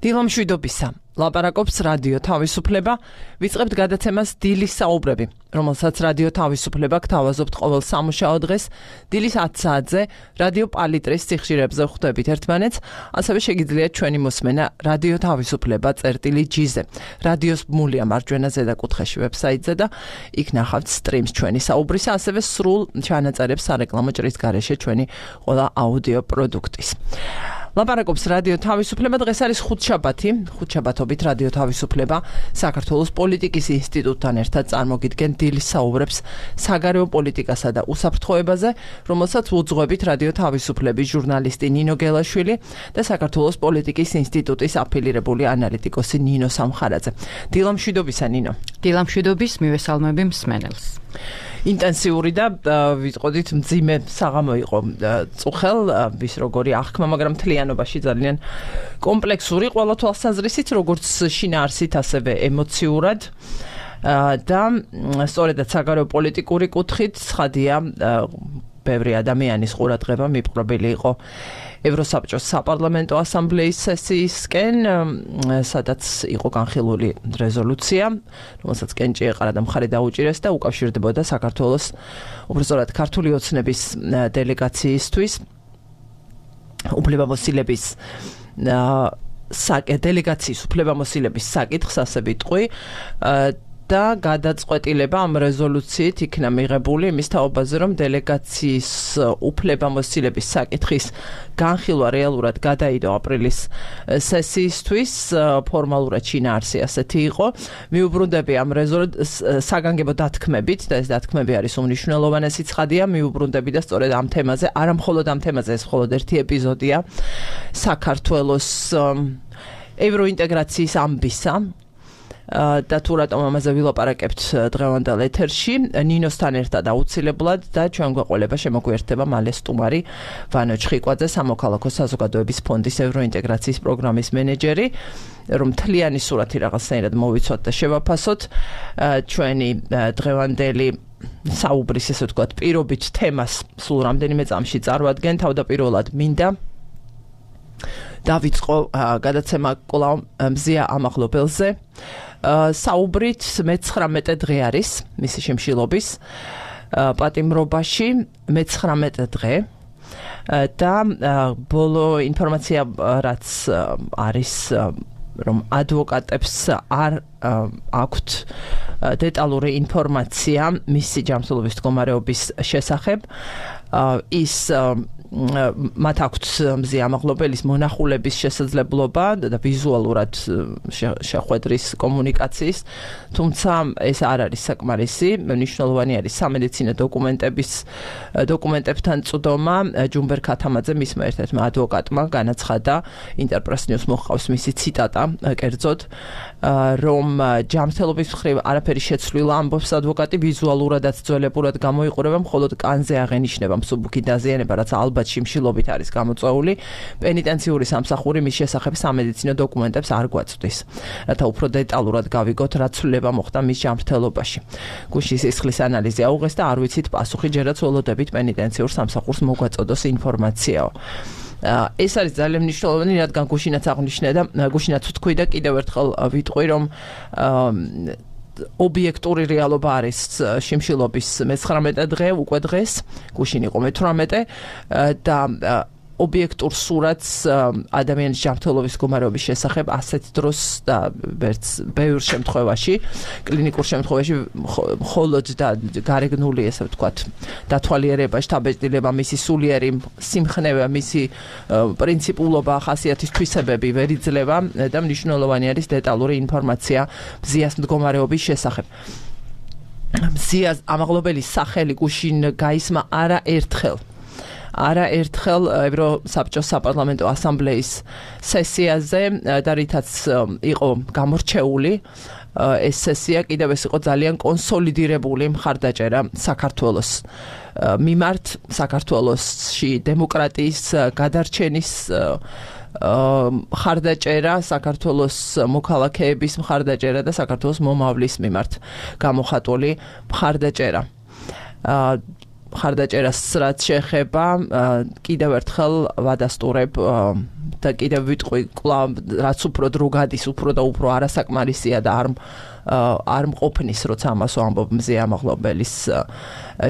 დილამშვიდობისა. ლაპარაკობს რადიო თავისუფლება. ვიწყებთ გადაცემას დილის საუბრები, რომელსაც რადიო თავისუფლება გთავაზობთ ყოველ სამუშაო დღეს დილის 10 საათზე რადიო პალიტრის სიხშირებზე ხვდებით ერთმანეთს, ასევე შეგიძლიათ ჩვენი მოსმენა რადიო თავისუფლება წერტილი-G-ზე. რადიოს ბმულია მარჯვენა ზედაკუთხეში ვებსაიტზე და იქ ნახავთ სტრიმს ჩვენი საუბრისა, ასევე სრულ ჩანაწერებს სარეკლამო ჭრის გარეშე ჩვენი ყველა აუდიო პროდუქტის. ლაპარაკობს რადიო თავისუფლება. დღეს არის ხუთშაბათობით რადიო თავისუფლება საქართველოს პოლიტიკის ინსტიტუტთან ერთად წარმოგიდგენ დილის საუბრებს საგარეო პოლიტიკასა და უსაფრთხოებაზე, რომელსაც უძღვებით რადიო თავისუფლების ჟურნალისტი ნინო გელაშვილი და საქართველოს პოლიტიკის ინსტიტუტის აფილირებული ანალიტიკოსი ნინო სამხარაძე. დილამშვიდობისა, ნინო. დილამშვიდობის, მივესალმები მსმენელს. ინტენსიური და ვიტყოდით მძიმე საღამო იყო წუხელ, ვის როგორი აღქმა, მაგრამ მთლიანობაში ძალიან კომპლექსური ყველა თვალსაზრისით, როგორც შინაარსით, ასევე ემოციურად და სწორედაც საგარეო პოლიტიკური კუთხით ცხადია, ბევრი ადამიანის ყურადღება მიპყრობილი იყო ევროსაბჭოს საპარლამენტო ასამბლეის სესიისკენ, სადაც იყო განხილული რეზოლუცია, რომელსაც კენჭი ეყარა და მხარი დაუჭირეს და უკავშირდებოდა საქართველოს, უბრალოდ ქართული ოცნების დელეგაციისთვის, უფლებამოსილების დელეგაციის უფლებამოსილების საკითხს, ასე ვიტყვი, და გადაწყვეტილება ამ რეზოლუციით იქნა მიღებული იმის თაობაზე, რომ დელეგაციის უფლებამოსილების საკითხის განხილვა რეალურად გადაიდო აპრილის სესიისთვის, ფორმალურად შინაარსი ასეთი იყო. მიუბრუნდები ამ საგანგებო დათქმებით და ეს დათქმები არის უმნიშვნელოვანესი ცხადია, მიუბრუნდები და სწორედ ამ თემაზე, არა მხოლოდ ამ თემაზე, ეს მხოლოდ ერთი ეპიზოდია საქართველოს ევროინტეგრაციის ამბისა. და თუ რატომ ამაზე ვილაპარაკებთ დღევანდელ ეთერში, ნინოსთან ერთად აუცილებლად და ჩვენ გვეყოლება შემოგვიერთდება მალე სტუმარი ვანო ჩხიკვაძე, სამოქალაქო საზოგადოების ფონდის ევროინტეგრაციის პროგრამის მენეჯერი, რომ მთლიანი სურათი რაღაცნაირად მოვიცვათ და შევაფასოთ ჩვენი დღევანდელი საუბრის, ესე ვთქვათ, პირობით თემას სულ რამდენიმე წამში წარვადგენ. თავდაპირველად მინდა დავიწყო გადაცემა კვლავ მზია ამაღლობელზე. საუბრით 19 დღე არის მისი შემშილობის პატიმრობაში, 19 დღე და ბოლო ინფორმაცია რაც არის, რომ ადვოკატებს არ აქვთ დეტალური ინფორმაცია მისი ჯანმრთელობის მდგომარეობის შესახებ. ის მათ აქვთ მზია ამაღლობელის მონახულების შესაძლებლობა და ვიზუალურად შეხვედრის კომუნიკაციის, თუმცა ეს არ არის საკმარისი. მნიშვნელოვანი არის სამედიცინო დოკუმენტებთან წვდომა. ჯუმბერ ქათამაძე, მისმა ერთ-ერთმა ადვოკატმა განაცხადა, ინტერპრეს ნიუს მოჰყავს მისი ციტატა, კერძოდ, რომ ჯანმრთელობის მხრივ არაფერი შეცვლილა, ამბობს ადვოკატი, ვიზუალურადაც ძველებურად გამოიყურება, მხოლოდ კანზე აღენიშნება მსუბუქი დაზიანება, რაც ალბათ შიმშილობით არის გამოწვეული. პენიტენციური სამსახური მის შესახებ სამედიცინო დოკუმენტებს არ გვაწვდის, რათა უფრო დეტალურად გავიგოთ, რა ცვლილება მოხდა მის ჯანმრთელობაში. გუშინ სისხლის ანალიზი აუღეს და არ ვიცით პასუხი, ჯერაც ველოდებით პენიტენციურ სამსახურს მოგვაწოდოს ინფორმაციაო. ეს არის ძალიან მნიშვნელოვანი, რადგან გუშინაც აღნიშნე და გუშინაც ვთქვი და კიდევ ერთხელ ვიტყვი, რომ ობიექტური რეალობა არის შიმშილობის 19 დღე, უკვე დღეს, გუშინ იყო 18 და ობიექტურ სურათს ადამიანის ჯანმრთელობის მდგომარეობის შესახებ ასეთ დროს და ბევრ შემთხვევაში, კლინიკურ შემთხვევაში მხოლოდ და გარეგნული, ესე ვთქვათ, დათვალიერება, შთაბეჭდილება, მისი სულიერი სიმხნევე, მისი პრინციპულობა, ხასიათის თვისებები ვერ იძლევა და მნიშვნელოვანი არის დეტალური ინფორმაცია მზიას მდგომარეობის შესახებ. მზიას ამაღლობელის სახელი გუშინ გაისმა არაერთხელ ევროსაბჭოს საპარლამენტო ასამბლეის სესიაზე და რითაც იყო გამორჩეული ეს სესია, კიდევ ეს იყო ძალიან კონსოლიდირებული მხარდაჭერა საქართველოს მიმართ, საქართველოსში დემოკრატიის გადარჩენის მხარდაჭერა, საქართველოს მოქალაქეების მხარდაჭერა და საქართველოს მომავლის მიმართ გამოხატული მხარდაჭერა. ხარდაჭერას რაც შეეხება კიდევ ერთხელ ვადასტურებ და კიდევ ვიტყვი კვლავ რაც უფრო დრო გადის უფრო და უფრო არასაკმარისია და არ მყოფნის როცა ამას ვამბობ მზე ამაღლობელის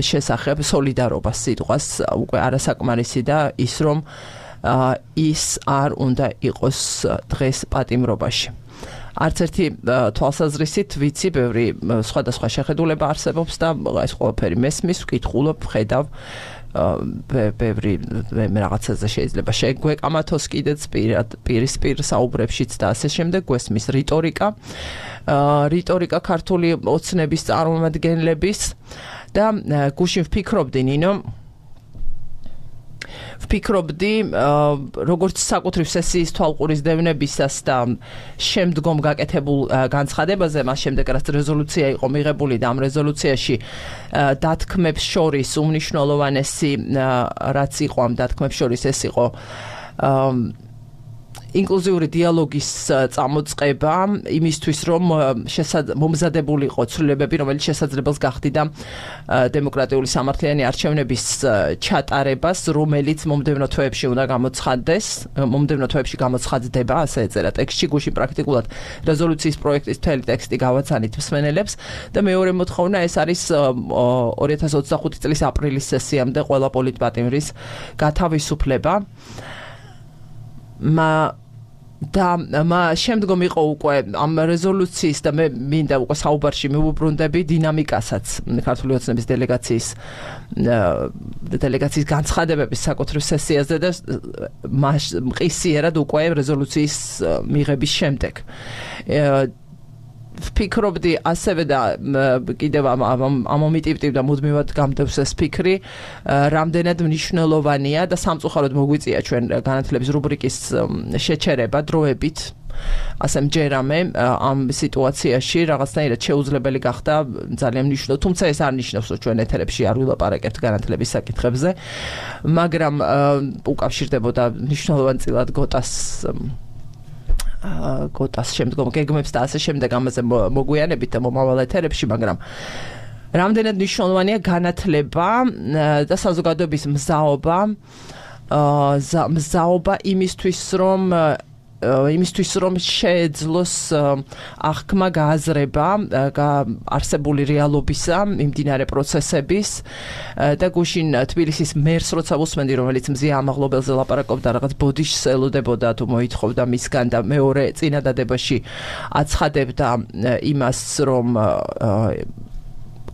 შესახებ სოლიდარობას სიტყვას უკვე არასაკმარისი და ის რომ ის არ უნდა იყოს დღეს პატიმრობაში არც ერთი თვალსაზრისით ვიცი ბევრი სხვადასხვა შეხედულება არსებობს და ეს ყველაფერი მესმის ვკითხულობ ხედავ ბევრი რაღაცაზე შეიძლება შეგვეკამათოს კიდეც პირისპირ საუბრებშიც და ასე შემდეგ გვესმის რიტორიკა ქართული ოცნების წარმომადგენლების და გუშინ ვფიქრობდი როგორც საკუთრივ სესიის თვალყურისდევნებისას და შემდგომ გაკეთებულ განცხადებაზე მას შემდეგ რაც რეზოლუცია იყო მიღებული და ამ რეზოლუციაში დათქმებს შორის უმნიშვნელოვანესი რაც იყო ამ დათქმებს შორის ეს იყო ინკლუზიური დიალოგის წამოწყება იმისთვის რომ მომზადებულიყო ცვლილებები რომელიც შესაძლებელს გახდიდა დემოკრატიული სამართლიანი არჩევნების ჩატარებას რომელიც მომდევნო თვეებში უნდა გამოცხადდება ასე ეწერა ტექსტში გუშინ პრაქტიკულად რეზოლუციის პროექტის მთელი ტექსტი გავაცანით მსმენელებს და მეორე მოთხოვნა ეს არის 2025 წლის აპრილის სესიამდე ყველა პოლიტპატიმრის გათავისუფლება და შემდგომ იყო უკვე ამ რეზოლუციის და მე მინდა უკვე საუბარში მივუბრუნდები დინამიკასაც ქართული ოცნების დელეგაციის განცხადებების საკუთრივ სესიაზე და მყისიერად უკვე რეზოლუციის მიღების შემდეგ ვფიქრობდი ასევე და კიდევ ამომიტივტივ და მუდმივად გამდევს ეს ფიქრი რამდენად მნიშვნელოვანია და სამწუხაროდ მოგვიწია ჩვენ განათლების რუბრიკის შეჩერება დროებით ასე მჯერამე ამ სიტუაციაში რაღაცნაირად შეუძლებელი გახდა ძალიან მნიშვნელოვანი თუმცა ეს არ ნიშნავს რომ ჩვენ ეთერებში არ ვილაპარაკებთ განათლების საკითხებზე მაგრამ უკავშირდებოდა მნიშვნელოვანწილად გოტას შემდგომ გეგმებს და ასე შემდეგ ამაზე მოგვიანებით და მომავალ ეთერებში, მაგრამ რამდენად მნიშვნელოვანია განათლება და საზოგადოების მზაობა იმისთვის რომ შეეძლოს აღქმა გააზრება არსებული რეალობისა, მიმდინარე პროცესების და გუშინ თბილისის მერს როცა ვუსმენდი, რომელიც მზია ამაღლობელზე ლაპარაკობდა, რაღაც ბოდიშს ელოდებოდა თუ მოითხოვდა მისგან და მეორე წინადადებაში აცხადებდა იმას, რომ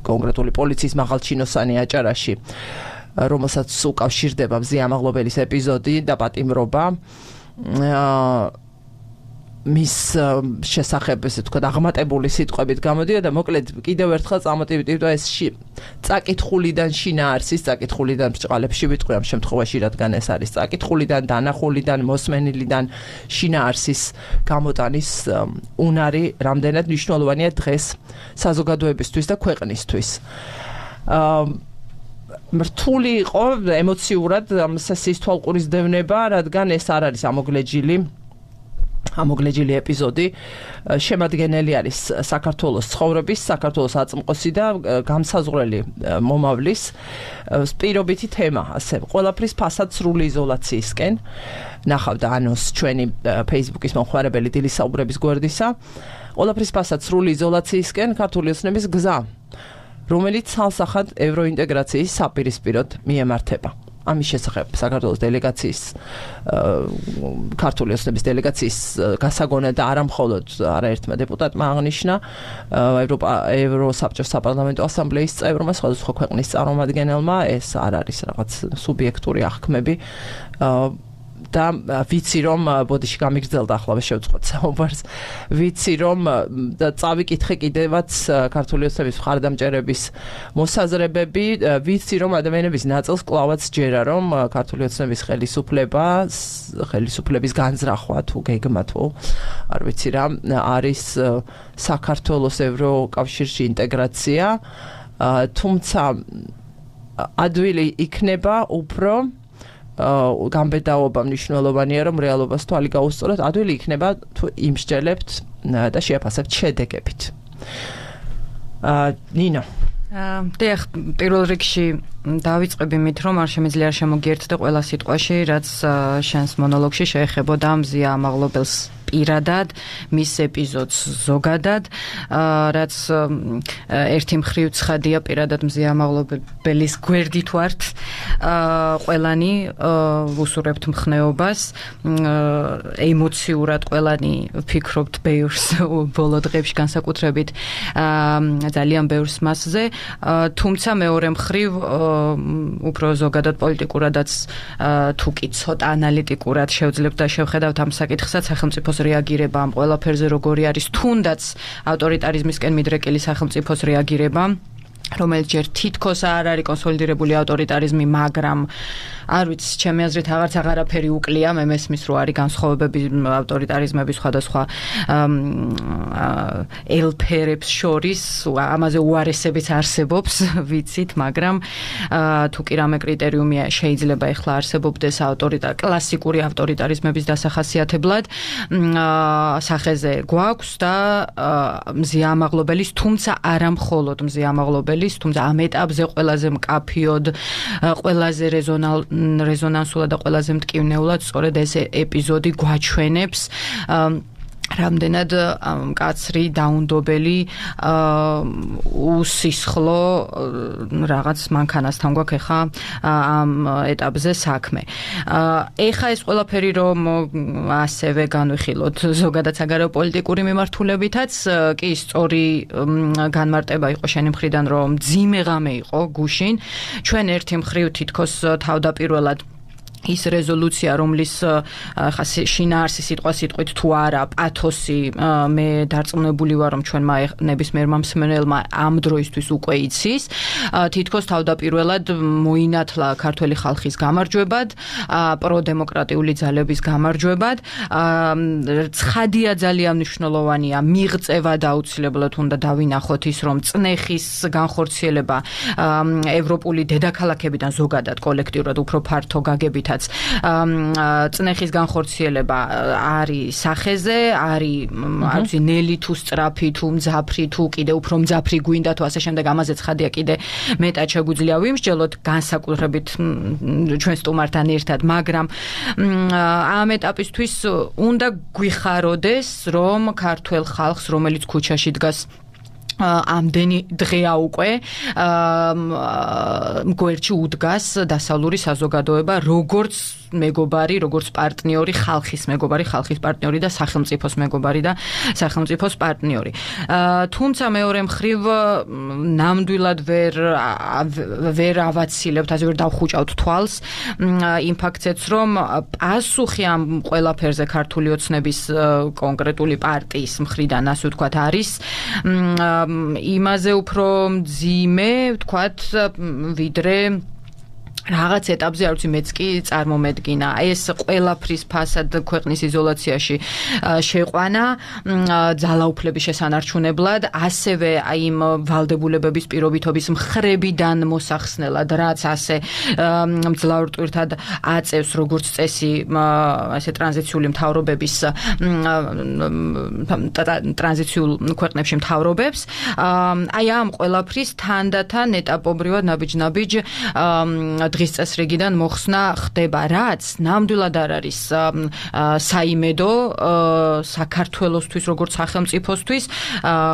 კონკრეტული პოლიციის მაღალჩინოსანი აჭარაში, რომელსაც უკავშირდება მზია ამაღლობელის ეპიზოდი და პატიმრობა მის შესახებ ესე თქვა აღმატებული სიტყვებით გამოდია და მოკლედ კიდევ ერთხელ წამოტივტივდა ეს წაკითხულიდან შინაარსის წაკითხულიდან ბრჭყალებში ვიტყვი ამ შემთხვევაში რადგან ეს არის წაკითხულიდან დანახულიდან მოსმენილიდან შინაარსის გამოტანის უნარი რამდენად მნიშვნელოვანია დღეს საზოგადოებისთვის და ქვეყნისთვის რთული იყო ემოციურად ამ სესიის თვალყურისდევნება, რადგან ეს არ არის ამოგლეჯილი ეპიზოდი, შემადგენელი არის საქართველოს ცხოვრების, საქართველოს აწმყოსი და გამსაზღვრელი მომავლის პირობითი თემა, ასე ყველაფრის ფასად სრული იზოლაციისკენ. ნახავდა ანონს ჩვენი Facebook-ის მომხმარებელი დილის საუბრების გვერდისა. ყველაფრის ფასად სრული იზოლაციისკენ ქართული ოცნების გზა რომელიც ცალსახად ევროინტეგრაციის საპირისპიროდ მიემართება. ამის შესახებ საქართველოს დელეგაციის ქართული ოცნების დელეგაციის გასაგონად და არა მხოლოდ არაერთმა დეპუტატმა აღნიშნა ევროსაბჭოს საპარლამენტო ასამბლეის წევრმა სხვადასხვა ქვეყნის წარმომადგენელმა ეს არ არის რაღაც სუბიექტური აღქმები და ვიცი რომ ბოდიში გამიგრძელდა ახლა შევწყვეტ საუბარს ვიცი რომ და წავიკითხე კიდევაც ქართული ოცნების მხარდამჭერების მოსაზრებები ვიცი რომ ადამიანების ნაწილს კლავაც ჯერა რომ ქართული ოცნების ხელისუფლების განზრახვა თუ გეგმა თუ არ ვიცი რა არის საქართველოს ევროკავშირში ინტეგრაცია თუმცა ადვილი იქნება უფრო გამბედაობა მნიშვნელოვანია რომ რეალობას თვალი გაუსწოროთ ადვილი იქნება თუ იმსჯელებთ და შეაფასებთ შედეგებით ნინო დიახ, პირველ რიგში დავიწყები მით, რომ არ შემიძლია შემოგიერთდე ყველა სიტყვაში, რაც შენს მონოლოგში შეეხებოდა მზია ამაღლობელს პირადად, მის ეპიზოდს ზოგადად, რაც ერთი მხრივ ცხადია პირადად მზია ამაღლობელის გვერდით ვართ, ყველანი ვუსურებთ მხნეობას, ემოციურად ყველანი ვფიქრობთ ბევრს ბოლო დღეებში განსაკუთრებით ძალიან ბევრს მასზე, თუმცა მეორე მხრივ უფრო ზოგადად პოლიტიკურადაც თუ კი ცოტა ანალიტიკურად შევძლებთ და შევხედავთ ამ საკითხსაც, სახელმწიფოს რეაგირება ამ ყველაფერზე როგორი არის, თუნდაც ავტორიტარიზმისკენ მიდრეკილი სახელმწიფოს რეაგირება, რომელიც ჯერ თითქოს არ არის კონსოლიდირებული ავტორიტარიზმი, მაგრამ არ ვიცი, ჩემი აზრით აღარც აღარაფერი უკლია, მე მესმის რომ არის განსხვავებები ავტორიტარიზმების სხვადასხვა ელფერებს შორის, ამაზე უარესებიც არსებობს, ვიცით, მაგრამ თუ კი რამე კრიტერიუმი შეიძლება ეხლა არსებობდეს კლასიკური ავტორიტარიზმების დასახასიათებლად, სახეზე გვაქვს და მზია ამაღლობელის, თუმცა არა მხოლოდ მზია ამაღლობელის, თუმცა ამ ეტაპზე ყველაზე მკაფიოდ, ყველაზე რეზონანსულად და ყველაზე მტკივნეულად სწორედ ეს ეპიზოდი გვაჩვენებს რამდენად მკაცრი, დაუნდობელი, უსისხლო რაღაც მანქანასთან გვაქვს ახლა ამ ეტაპზე საქმე. ეხა ეს ყველაფერი რომ ასევე განვიხილოთ ზოგადად საგარეო პოლიტიკური მიმართულებითაც კი სწორი განმარტება იყო შენი მხრიდან, რომ მძიმე ღამე იყო გუშინ. ჩვენ ერთი მხრივ თითქოს თავდაპირველად ის რეზოლუცია, რომლის ხა შინაარსი სიტყვით თუ არა პათოსი, მე დარწმუნებული ვარ, რომ ჩვენმა ნებისმიერმა მსმენელმა ამ დროისთვის უკვე იცის, თითქოს თავდაპირველად მოინათლა ქართველი ხალხის გამარჯვებად, პროდემოკრატიული ძალების გამარჯვებად, ცხადია ძალიან მნიშვნელოვანია მიღწევა და აუცილებლად უნდა დავინახოთ ის, რომ წნეხის განხორციელება ევროპული დედაქალაქებიდან ზოგადად კოლექტიურად უფრო ფართო გაგებით წნეხის განხორციელება არის სახეზე, არის ნელი თუ სწრაფი თუ მძაფრი თუ კიდე უფრო მძაფრი გვინდა თუ ასე შემდეგ, ამაზე ცხადია კიდე მეტად შეგვიძლია ვიმსჯელოთ განსაკუთრებით ჩვენ სტუმართან ერთად, მაგრამ ამ ეტაპისთვის უნდა გვიხაროდეს, რომ ქართველ ხალხს, რომელიც ქუჩაში დგას ამდენი დღეა უკვე გვერდში უდგას დასავლური საზოგადოება, როგორც მეგობარი, როგორც პარტნიორი, ხალხის მეგობარი, ხალხის პარტნიორი და სახელმწიფოს მეგობარი და სახელმწიფოს პარტნიორი. თუმცა მეორე მხრივ ნამდვილად ვერ ავაცილებთ, ასე ვერ დავხუჭავთ თვალს იმ ფაქტზეც, რომ პასუხი ამ ყველაფერზე ქართული ოცნების კონკრეტული პარტიის მხრიდან, ასე ვთქვათ, არის იმაზე უფრო მძიმე, ვთქვათ, ვიდრე რაღაც ეტაპზე, არ ვიცი, მეც კი წარმომედგინა. ეს ყველაფრის ფასად ქვეყნის იზოლაციაში შეყვანა ძალაუფლების შესანარჩუნებლად, ასევე იმ ვალდებულებების პირობითობის მხრებიდან მოსახსნელად, რაც ასე მძლავრ ტვირთად აწევს როგორც წესი ასე ტრანზიციული მთავრობების ტრანზიციულ ქვეყნებში მთავრობებს. აი ამ ყველაფრის თანდათან ეტაპობრივად ნაბიჯ-ნაბიჯ დღის წესრიგიდან მოხსნა ხდება, რაც ნამდვილად არ არის საიმედო საქართველოსთვის, როგორც სახელმწიფოსთვის,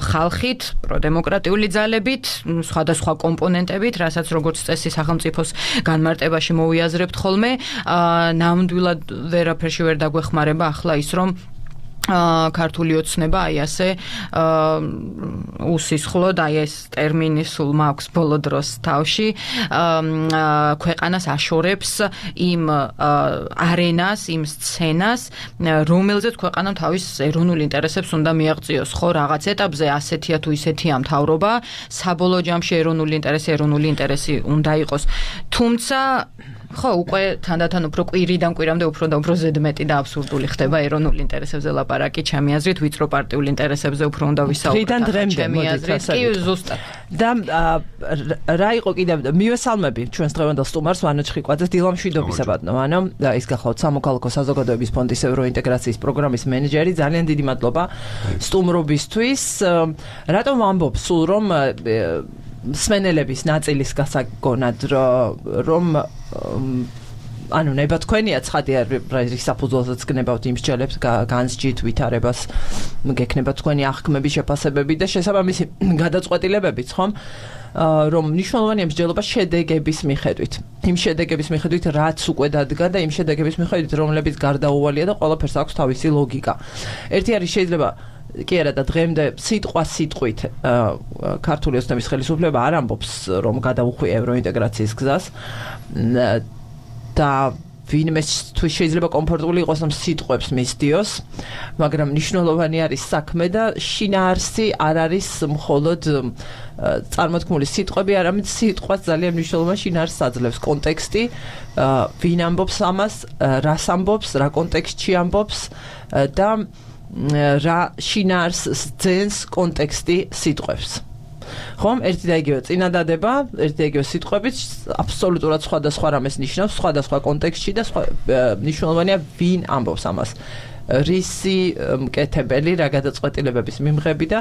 ხალხით, პროდემოკრატიული ძალებით, სხვადასხვა კომპონენტებით, რასაც როგორც წესი სახელმწიფოს განმარტებაში მოვიაზრებთ ხოლმე, ნამდვილად ვერაფერში ვერ დაგვეხმარება ახლა ის, რომ ქართული ოცნება აი ასე უსისხლოდ, აი ეს ტერმინი სულ მაქვს ბოლო დროს თავში, ქვეყანას აშორებს იმ არენას, იმ სცენას, რომელზეც ქვეყანამ თავის ეროვნულ ინტერესებს უნდა მიაღწიოს. ხო, რაღაც ეტაპზე ასეთია თუ ისეთია მთავრობა, საბოლოო ჯამში ეროვნული ინტერესი უნდა იყოს. თუმცა ხო, უკვე თანდათან უფრო კვირიდან კვირამდე უფრო და უფრო ზედმეტი და აბსურდული ხდება ეროვნულ ინტერესებზე ლაპარაკი, ჩემი აზრით, ვიწრო პარტიულ ინტერესებზე უფრო უნდა ვისაუბროთ. ჩემი აზრით, კი ზუსტად. და რა იყო კიდევ მივესალმები ჩვენს დღევანდელ სტუმარს ვანო ჩხიკვაძეს, დილამშვიდობისებადნო, ანუ ის გახლავთ სამოქალაქო საზოგადოების ფონდის ევროინტეგრაციის პროგრამის მენეჯერი, ძალიან დიდი მადლობა სტუმრობისთვის. რატომ ვამბობ სულ რომ სმენელების ნაწილის გასაგონად რომ ანუ ნება თქვენია ცხადია რის საფუძველზეც გნებავთ იმ მსჯელებს განსჯით ვითარებას გექნება თქვენი აღქმების შეფასებები და შესაბამისი გადაწყვეტილებებიც ხომ რომ მნიშვნელოვანია მსჯელობა შედეგების მიხედვით იმ შედეგების მიხედვით რაც უკვე დადგა და იმ შედეგების მიხედვით რომლებიც გარდაუვალია და ყველაფერს აქვს თავისი ლოგიკა ერთი არის შეიძლება კი არა და დღემდე სიტყვით ქართული ოცნების ხელისუფლება არ ამბობს რომ გადაუხვია ევროინტეგრაციის გზას და ვინმე შეიძლება კომფორტული იყოს რომ სიტყვებს მისდიოს, მაგრამ მნიშვნელოვანი არის საქმე და შინაარსი არ არის მხოლოდ წარმოთქმული სიტყვები, არამედ სიტყვაც ძალიან მნიშვნელოვანი შინაარსს აძლევს კონტექსტი, ვინ ამბობს ამას, რას ამბობს, რა კონტექსტში ამბობს და რა შინაარსს ძენს კონტექსტი სიტყვებს. ხომ ერთი და იგივე წინადადება, ერთი და იგივე სიტყვებით აბსოლუტურად სხვადასხვა რამეს ნიშნავს, სხვადასხვა კონტექსტში და მნიშვნელოვანია ვინ ამბობს ამას. რისი მკეთებელი, რა გადაწყვეტილებების მიმღები და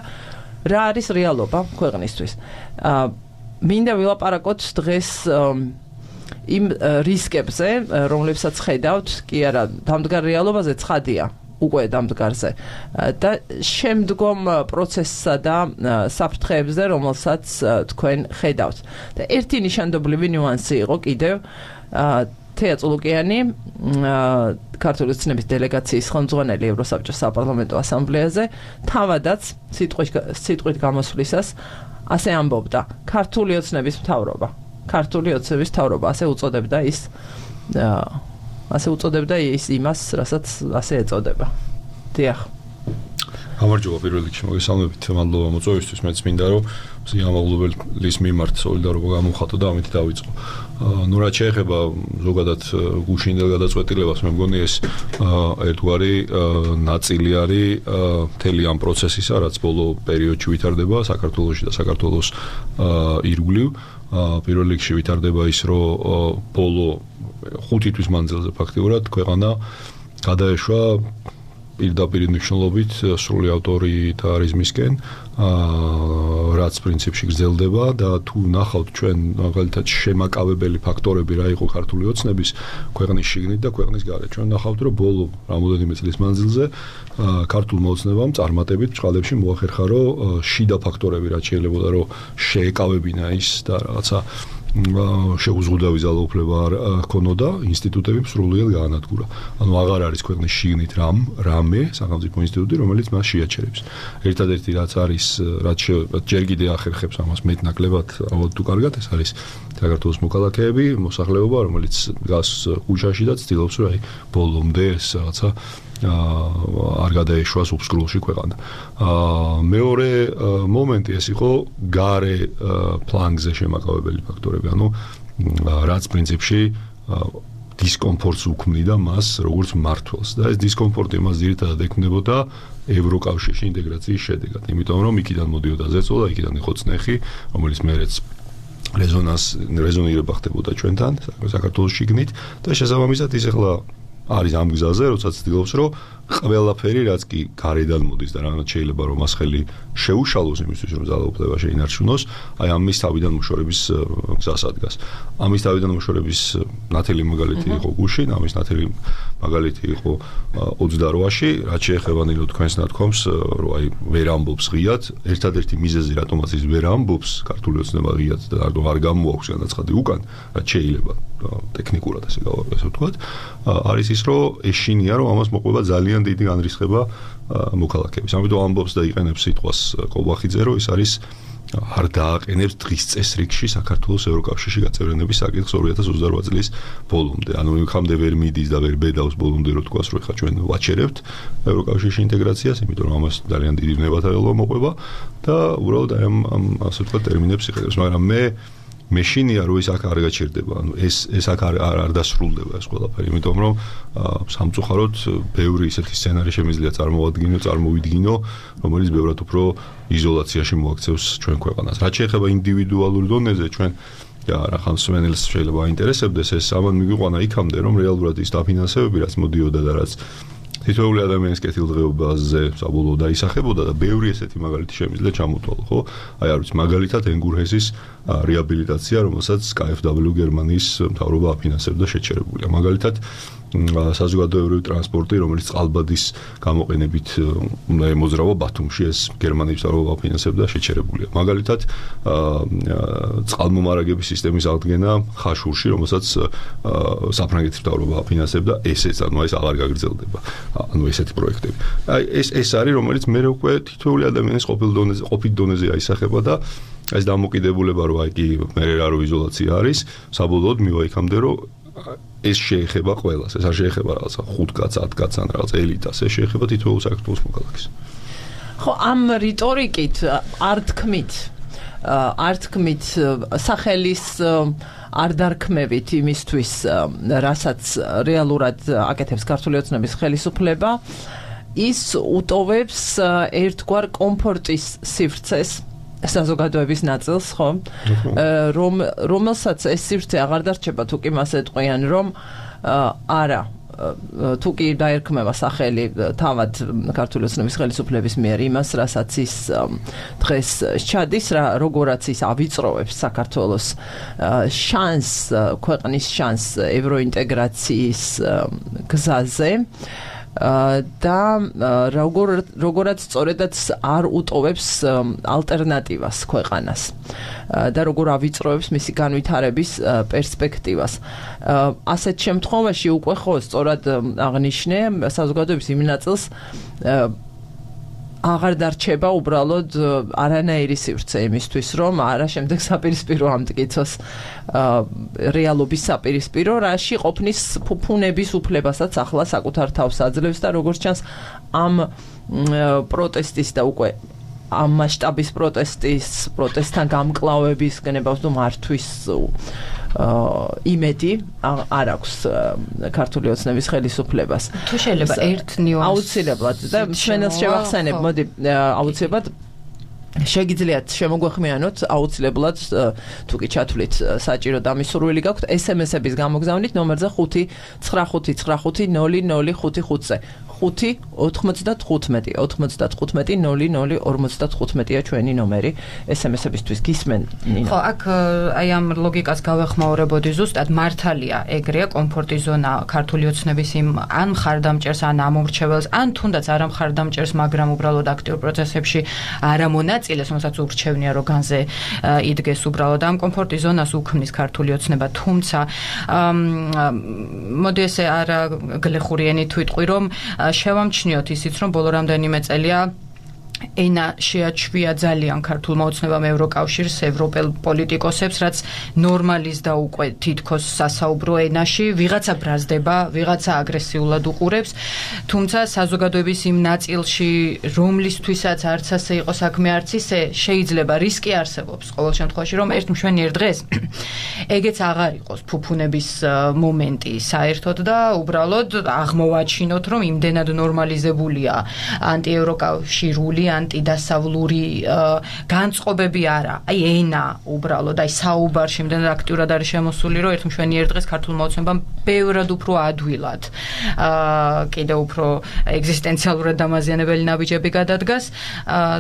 რა არის რეალობა ქვეყნისთვის. მინდა ვილაპარაკოთ დღეს იმ რისკებზე, რომლებსაც ხედავთ, კი არა, დამდგარ რეალობაზე ცხადია. უკვე დამდგარზე და შემდგომ პროცესსა და საფრთხეებზე, რომელსაც თქვენ ხედავთ. და ერთი ნიშანდობლივი ნიუანსი იყო კიდევ თეა წულუკიანი, ქართული ოცნების დელეგაციის ხელმძღვანელი ევროსაბჭოს საპარლამენტო ასამბლეაზე, თავადაც სიტყვით გამოსვლისას ასე ამბობდა: ქართული ოცნების მთავრობა, ასე უწოდებდა ის ასე უწოდებდა ის იმას, რასაც ასე ეწოდება. დიახ. გამარჯობა პირველ რიგში მოგესალმებით, მადლობა მოწვევისთვის, მეც მინდა რომ სიამოვნებლის მიმართ სოლიდარობა გამოვხატო და ამით დავიწყო. ნუ რაც შეეხება ზოგადად გუშინდელ გადაწყვეტილებას, მე მგონი ეს ერთგვარი ნაწილი არის მთელი ამ პროცესისა, რაც ბოლო პერიოდში ვითარდება საქართველოში და საქართველოს ირგვლივ. პირველ რიგში ვითარდება ის, რომ ბოლო 5 თვის მანძილზე ფაქტიურად ქვეყანა გადაეშვა პირდაპირ მნიშვნელობით სრული ავტორიტარიზმისკენ, რაც პრინციპში გრძელდება და თუ ნახავთ ჩვენ მაგალითად შემაკავებელი ფაქტორები რა იყო ქართული ოცნების ქვეყნის შიგნით და ქვეყნის გარეთ. ჩვენ ნახავთ რომ ბოლო რამოდენიმე წლის მანძილზე ქართულ მოოცნებამ წარმატებით წყალებში მოახერხა რომ შიდა ფაქტორები რაც შეიძლება რომ შეეკავებინა ის და რაღაცა შეუზღუდავი ძალაუფლება არ ჰქონოდა, ინსტიტუტები სრულიად გაანადგურა. ანუ აღარ არის ქვეყნის შიგნით რამე სახელმწიფო ინსტიტუტი, რომელიც მას შეაჩერებს. ერთადერთი რაც არის, რაც ჯერ კიდევ ახერხებს ამას მეტნაკლებად, ალბათ თუ კარგად, ეს არის საქართველოს მოქალაქეები, მოსახლეობა, რომელიც დგას ქუჩაში და ცდილობს რომ ბოლომდე ეს რაღაცა არ გადაეშვას უბსკრულში ქვეყანა. მეორე მომენტი ეს იყო გარე ფლანგზე შემაკავებელი ფაქტორები, ანუ რაც პრინციპში დისკომფორტს უქმნიდა მას როგორც მმართველს და ეს დისკომფორტი მას ძირითადად ექმნებოდა ევროკავშირში ინტეგრაციის შედეგად, იმიტომ რომ იქიდან მოდიოდა ზეწოლა, იქიდან იყო წნეხი, რომელიც მერეც რეზონირება ხდებოდა ჩვენთან საქართველოს შიგნით და შესაბამისად ის ახლა არის ამ გზაზე, როდესაც ცდილობს რომ ყველაფერი რაც კი გარედან მოდის და რაღაც შეიძლება რომ მას ხელი შეუშალოს იმისთვის რომ ძალაუფლება შეინარჩუნოს, აი ამის თავიდან მოშორების გზას ადგას. ამის თავიდან მოშორების ნათელი მაგალითი იყო გუშინ, ამის ნათელი მაგალითი იყო 28-ში, რაც შეეხება ნილო თქვენს ნათქვამს, რომ აი ვერ ამბობს ღიად, ერთადერთი მიზეზი რატომაც ის ვერ ამბობს ქართული ოცნება ღიად და რატომ არ გამოაქვს განაცხადი უკან, რაც შეიძლება ტექნიკურად ასე ვთქვათ, არის ის რომ ეშინია რომ ამას მოყვება ძალიან დიდი განრისხება მოქალაქეების. ამიტომ ამბობს და იყენებს სიტყვას კობახიძე, რომ ის არის არ დააყენებს დღის წესრიგში საქართველოს ევროკავშირში გაწევრიანების საკითხს 2028 წლის ბოლომდე. ანუ იქამდე ვერ მიდის და ვერ ბედავს ბოლომდე რომ თქვას რომ ხა ჩვენ ვაჩერებთ ევროკავშირში ინტეგრაციას, იმიტომ რომ ამას ძალიან დიდი ნებათაელობა მოყვება და უბრალოდ აი ამ ასე ვთქვათ ტერმინებს იყენებს, მაგრამ მე შინია რომ ეს აქ არ გაჩერდება, ანუ ეს აქ არ დასრულდება ეს ყველაფერი, იმიტომ რომ სამწუხაროდ ბევრი ისეთი სცენარი შემიძლია წარმოვიდგინო, რომელიც ბევრად უფრო იზოლაციაში მოაქცევს ჩვენ ქვეყანას. რაც შეეხება ინდივიდუალურ დონეზე, ჩვენ რა ხან სვენელს შეიძლება აინტერესებდეს ეს ამან მიგვიყვანა იქამდე, რომ რეალურად ის დაფინანსებები რაც მოდიოდა და რაც თითოეული ადამიანის კეთილდღეობაზე საბოლოოდ დაისახებოდა და ბევრი ესეთი მაგალითი შემიძლია ჩამოთვალო, ხო? აი არ ვიცი, მაგალითად ენგურჰესის რეაბილიტაცია, რომელსაც KfW გერმანიის მთავრობა აფინანსებდა შეჩერებულია. მაგალითად საზოგადოებრივი ტრანსპორტი, რომელიც წყალბადის გამოყენებით უნდა ემოძრავა ბათუმში, ეს გერმანიის მთავრობა აფინანსებდა შეჩერებულია. მაგალითად წყალმომარაგების სისტემის აღდგენა ხაშურში, რომელსაც საფრანგეთის მთავრობა აფინანსებდა, ესეც, ანუ ეს აღარ გაგრძელდება. ანუ ესეთი პროექტები. აი ეს არის, რომელიც მე უკვე თითოეული ადამიანის ყოფილ დონეზე აისახება და ეს დამოკიდებულება რო აი კი მე რა რო იზოლაცია არის, საბოლოოდ მივა იქამდე რომ ეს შეეხება ყველას, ეს არ შეეხება რაღაცა 5 კაცს, 10 კაცს ან რაღაც ელიტას, ეს შეეხება თითოეულ საქართველოს მოქალაქეს. ხო, ამ რიტორიკით არ თქმით სახელის არ დარქმევით იმისთვის, რასაც რეალურად აკეთებს ქართული ოცნების ხელისუფლება, ის უტოვებს ერთგვარ კომფორტის სივრცეს საზოგადოების ნაწილს, ხო? რომელსაც ეს სივრცე აღარ დარჩება, თუ კი მას ეტყვიან, რომ არა, თუ კი დაერქმევა სახელი თავად ქართული ოცნების ხელისუფლების მიერ იმას, რასაც ის დღეს ჩადის, როგორაც ის ავიწროვებს საქართველოს შანსს, ქვეყნის შანსს ევროინტეგრაციის გზაზე. და როგორაც სწორედაც არ უტოვებს ალტერნატივას ქვეყანას და როგორ ავიწროებს მისი განვითარების პერსპექტივას. ასეთ შემთხვევაში უკვე ხო სწორად აღნიშნე საზოგადოების იმ ნაწილს აღარ დარჩება უბრალოდ არანაირი სივრცე იმისთვის, რომ არა შემდეგ საპირისპირო ამტკიცოს რეალობის საპირისპირო, რაში ყოფნის ფუფუნების უფლებასაც ახლა საკუთარ თავს აძლევს და როგორც ჩანს ამ პროტესტის და უკვე ამ მასშტაბის პროტესტთან გამკლავების გნებავს და მართვის იმედი არ აქვს ქართული ოცნების ხელისუფლებას. თუ შეიძლება ერთ ნიუანსს აუცილებლად და ჩვენს შევახსენებ, მოდი აუცილებლად შეგიძლიათ შემოგვეხმიანოთ აუცილებლად თუ კი ჩათვლით საჭირო დამისურველი გაქვთ SMS-ების გამოგზავნით ნომერზე 599500555-ზე 5-95-00-55-ია ჩვენი ნომერი SMS-ებისთვის გისმენ ნინო. ხო, აქ აი ამ ლოგიკას გავეხმაურებოდი ზუსტად მართალია ეგრეა კომფორტი ზონა ქართული ოცნების იმ ან მხარდამჭერს ან ამომრჩეველს ან თუნდაც არ მხარდამჭერს, მაგრამ უბრალოდ აქტიურ პროცესებში არ ამონაწილეს, რომელსაც ურჩევნია რომ განზე იდგეს უბრალოდ ამ კომფორტი ზონას უქმნის ქართული ოცნება, თუმცა მოდი ესე არა გლეხური ენით ვიტყვი, რომ შევამჩნიოთ ისიც, რომ ბოლო რამდენიმე წელია ენა შეაჩვია ძალიან ქართულმა ოცნებამ ევროკავშირს, ევროპელ პოლიტიკოსებს, რაც ნორმალიზდა უკვე თითქოს სასაუბრო ენაში, ვიღაცა ბრაზდება, ვიღაცა აგრესიულად უყურებს, თუმცა საზოგადოების იმ ნაწილში, რომლისთვისაც არც ასე იყო საქმე, არც ისე, შეიძლება რისკი არსებობს ყოველ შემთხვევაში, რომ ერთ მშვენიერ დღეს ეგეც აღარ იყოს ფუფუნების მომენტი საერთოდ და უბრალოდ აღმოვაჩინოთ, რომ იმდენად ნორმალიზებულია ანტიევროკავშირული ანტიდასავლური განწყობები არა, აი ენა უბრალოდ, აი საუბარში იმდენად აქტიურად არის შემოსული, რომ ერთ მშვენიერ დღეს ქართულმა ოცნებამ ბევრად უფრო ადვილად კიდევ უფრო ეგზისტენციალურად დამაზიანებელი ნაბიჯები გადადგას,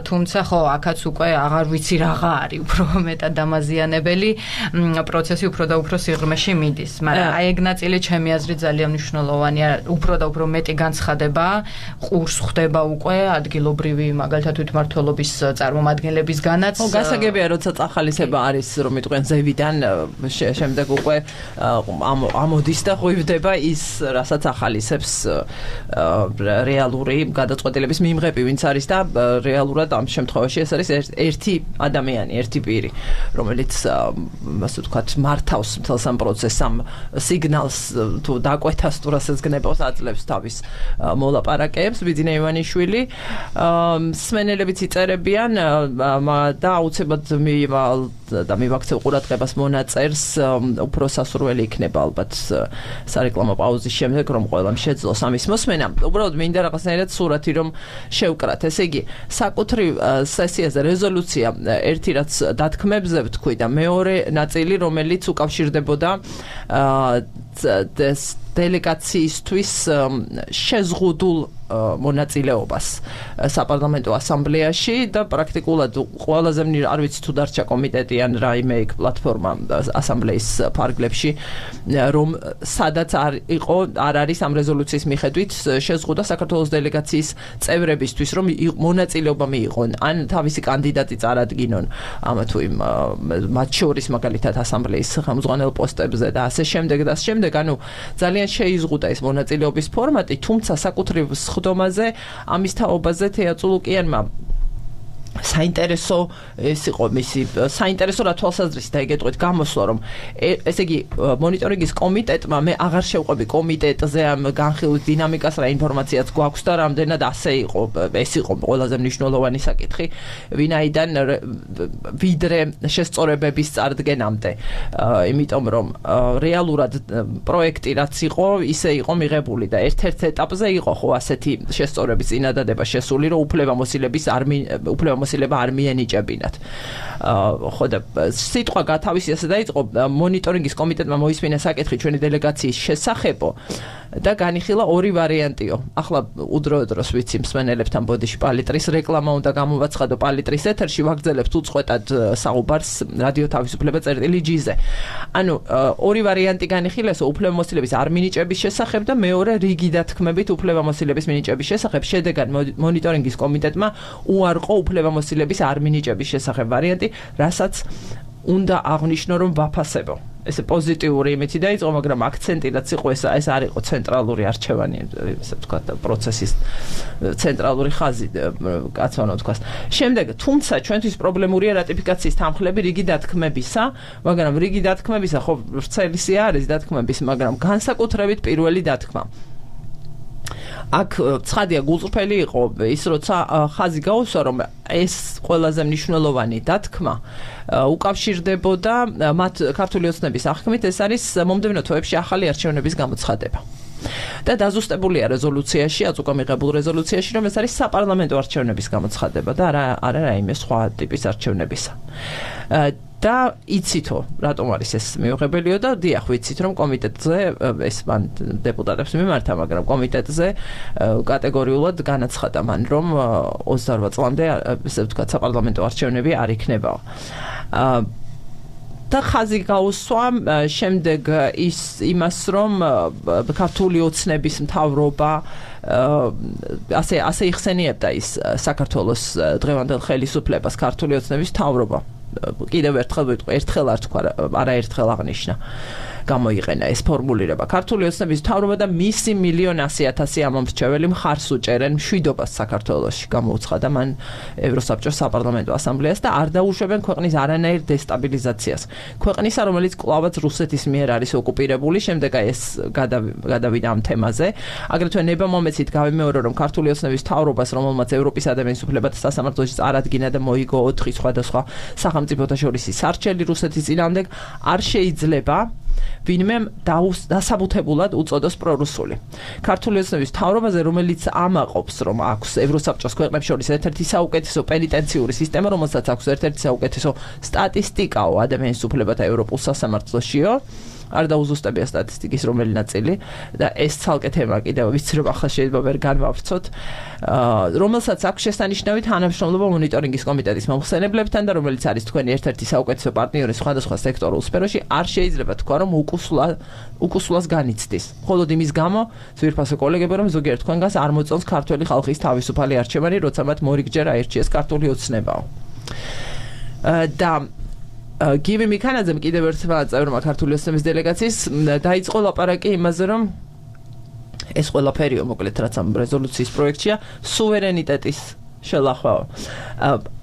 თუმცა ხო, აქაც უკვე აღარ ვიცი რაღა არის უფრო მეტად დამაზიანებელი, პროცესი უფრო და უფრო სიღრმეში მიდის, მაგრამ აი ეგ ნაწილი ჩემი აზრით ძალიან მნიშვნელოვანია, უფრო და უფრო მეტი განცხადება ყურს ხვდება უკვე ადგილობრივი მაგალითად თვითმმართველობის წარმომადგენლებისგანაც. ხო, გასაგებია, როცა წახალისება არის, რომ იტყვიან ზევიდან, შემდეგ უკვე ამოდის და ღვივდება ის, რასაც ახალისებს რეალური გადაწყვეტილების მიმღები, ვინც არის და რეალურად ამ შემთხვევაში ეს არის ერთი ადამიანი, ერთი პირი, რომელიც ასე ვთქვათ, მართავს მთელს ამ პროცესს, ამ სიგნალს თუ დაკვეთას თუ რასაც გნებავს აძლევს თავის მოლაპარაკეებს, ბიძინა ივანიშვილი. მსმენელებიც იწერებიან და აუცილებლად მივაქცევ ყურადღებას მონაწერს, უფრო სასურველი იქნება ალბათ სარეკლამო პაუზის შემდეგ, რომ ყველამ შეძლოს ამის მოსმენა. უბრალოდ მინდა რაღაცნაირად სურათი რომ შევკრათ. ესე იგი, საკუთრივ სესიაზე რეზოლუცია ერთი რაც დათქმებზე ვთქვი და მეორე ნაწილი, რომელიც უკავშირდებოდა დელეგაციისთვის შეზღუდულ მონაწილეობას საპარლამენტო ასამბლეაში და პრაქტიკულად ყველაზე არ ვიცი თუ დარჩა კომიტეტი ან რაიმე იქ პლატფორმა ასამბლეის ფარგლებში რომ სადაც არ არის ამ რეზოლუციის მიხედვით შეზღუდა საქართველოს დელეგაციის წევრებისთვის რომ მონაწილეობა მიიღონ ან თავისი კანდიდატი წარადგინონ ამა თუ იმ მათ შორის მაგალითად ასამბლეის ხელმძღვანელ პოსტებზე და ასე შემდეგ და ასე შემდეგ ანუ ძალიან შეიზღუდა ეს მონაწილეობის ფორმატი თუმცა საკუთრივ ხდომაზე ამის თაობაზე თეატრულუკიანმა საინტერესო ეს იყო მისი საინტერესო რა თვალსაზრისით აიგეთყვით გამოსვლა რომ ესე იგი მონიტორინგის კომიტეტმა მე აღარ შევყვები კომიტეტზე ამ განხილვის დინამიკას რა ინფორმაციაც გვაქვს და რამდენად ასე იყო ეს იყო ყველაზე მნიშვნელოვანი საკითხი ვინაიდან ვიდრე შესწორებების წარდგენამდე იმიტომ რომ რეალურად პროექტი რაც იყო ისე იყო მიღებული და ერთ-ერთ ეტაპზე იყო ხო ასეთი შესწორების წინადადება შესული რომ უფლებამოსილება არ მიენიჭებინათ. ხო და სიტყვა გათავისიასა დაიწყო მონიტორინგის კომიტეტმა მოისმინა საკითხი ჩვენი დელეგაციის შესახებო და განიხილა ორი ვარიანტიო. ახლა უდროოდ-დროს ვიცი მსმენელებთან ბოდიში პალიტრის რეკლამა უნდა გამოვაცხადო პალიტრის ეთერში ვაგრძელებთ უწყვეტად საუბარს რადიო თავისუფლება წერტილი-G-ზე. ანუ ორი ვარიანტი განიხილეს უფლებამოსილების არ მინიჭების შესახებ და მეორე რიგი დათქმებით უფლებამოსილების მინიჭების შესახებ. შედეგად მონიტორინგის კომიტეტმა უარყო უფლებამოსილების არ მინიჭების შესახებ ვარიანტი, რასაც უნდა აღნიშნო რომ ვაფასებო. ეს პოზიტიური იმითი დაიწყო, მაგრამ აქცენტი რაც იყო ეს არ იყო ცენტრალური არჩევანი, ესე ვთქვათ, პროცესის ცენტრალური ხაზი, კაცვანო ვთქვათ. შემდეგ, თუმცა ჩვენთვის პრობლემურია რატიფიკაციის თანხლები რიგი დათქმებისა, მაგრამ რიგი დათქმებისა ხო ვრცელისი არის დათქმების, მაგრამ განსაკუთრებით პირველი დათქმა. აქ ცხადია გულწრფელი იყო ის როცა ხაზი გაუსვა რომ ეს ყველაზე მნიშვნელოვანი დათქმა უკავშირდებოდა მათ ქართული ოცნების აღქმით ეს არის მომდევნო თვეებში ახალი არჩევნების გამოცხადება და დაზუსტებულია რეზოლუციაში რაც უკვე მიღებულ რეზოლუციაში რომ ეს არის საპარლამენტო არჩევნების გამოცხადება და არა რაიმე სხვა ტიპის არჩევნებისა და იცითო რატომ არის ეს მიუღებელიო და დიახ ვიცით რომ კომიტეტზე ეს მან დეპუტატებს მიმართა მაგრამ კომიტეტზე კატეგორიულად განაცხადა მან რომ 28 წლამდე ესე ვთქვათ საპარლამენტო არჩევნები არ იქნება და ხაზი გაუსვა შემდეგ იმას რომ ქართული ოცნების მთავრობა ასე იხსენიებდა ის საქართველოს დღევანდელ ხელისუფლებას ქართული ოცნების მთავრობა კიდევ ერთხელ არ თქვა არაერთხელ აღნიშნა გამოიყენა ეს ფორმულირება ქართული ოცნების მთავრობა და მისი 1,100,000 ამომრჩეველი მხარს უჭერენ მშვიდობას საქართველოში გამოუცხადა მან ევროსაბჭოს საპარლამენტო ასამბლეას და არ დაუშვებენ ქვეყნის არანაირ დესტაბილიზაციას ქვეყნისა რომელიც კვლავაც რუსეთის მიერ არის ოკუპირებული შემდეგ ეს გადავიდა ამ თემაზე აგრეთვე ნება-მომეცით გავიმეორო რომ ქართული ოცნების მთავრობას რომელმაც ევროპის ადამიანის უფლებათა სასამართლოში წარადგინა და მოიგო 4 სხვადასხვა სახელმწიფოთა შორის სარჩელი რუსეთის წინააღმდეგ არ შეიძლება ვინმე დასაბუთებულად უწოდოს პრორუსული. ქართული ოცნების მთავრობაზე, რომელიც ამაყობს, რომ აქვს ევროსაბჭოს ქვეყნებს შორის ერთ-ერთი საუკეთესო პენიტენციური სისტემა, რომელსაც აქვს ერთ-ერთი საუკეთესო სტატისტიკაო ადამიანის უფლებათა ევროპულ სასამართლოშიო, არ დაუზუსტებია სტატისტიკის რომელი ნაწილი და ეს ცალკე თემა კიდევ ვიცი რომ ახლა შეიძლება ვერ განვავრცოთ რომელსაც აქვს შესანიშნავი თანამშრომლობა მონიტორინგის კომიტეტის მომხსენებლებთან და რომელიც არის თქვენი ერთ-ერთი საუკეთესო პარტნიორი სხვადასხვა სექტორულ სფეროში არ შეიძლება თქვა რომ უკუსვლას განიცდის მხოლოდ იმის გამო ძვირფასო კოლეგები რომ ზოგიერთ თქვენგანს არ მოწონს ქართული ხალხის თავისუფალი არჩევანი როცა მათ მორიგჯერ აირჩიეს ქართული ოცნებაო და გივი მიქანაძემ კიდევ ერთმა წევრმა ქართული ოცნების დელეგაციის დაიწყო ლაპარაკი იმაზე რომ ეს ყველაფერიო მოკლედ რაც ამ რეზოლუციის პროექტშია სუვერენიტეტის შელახვაო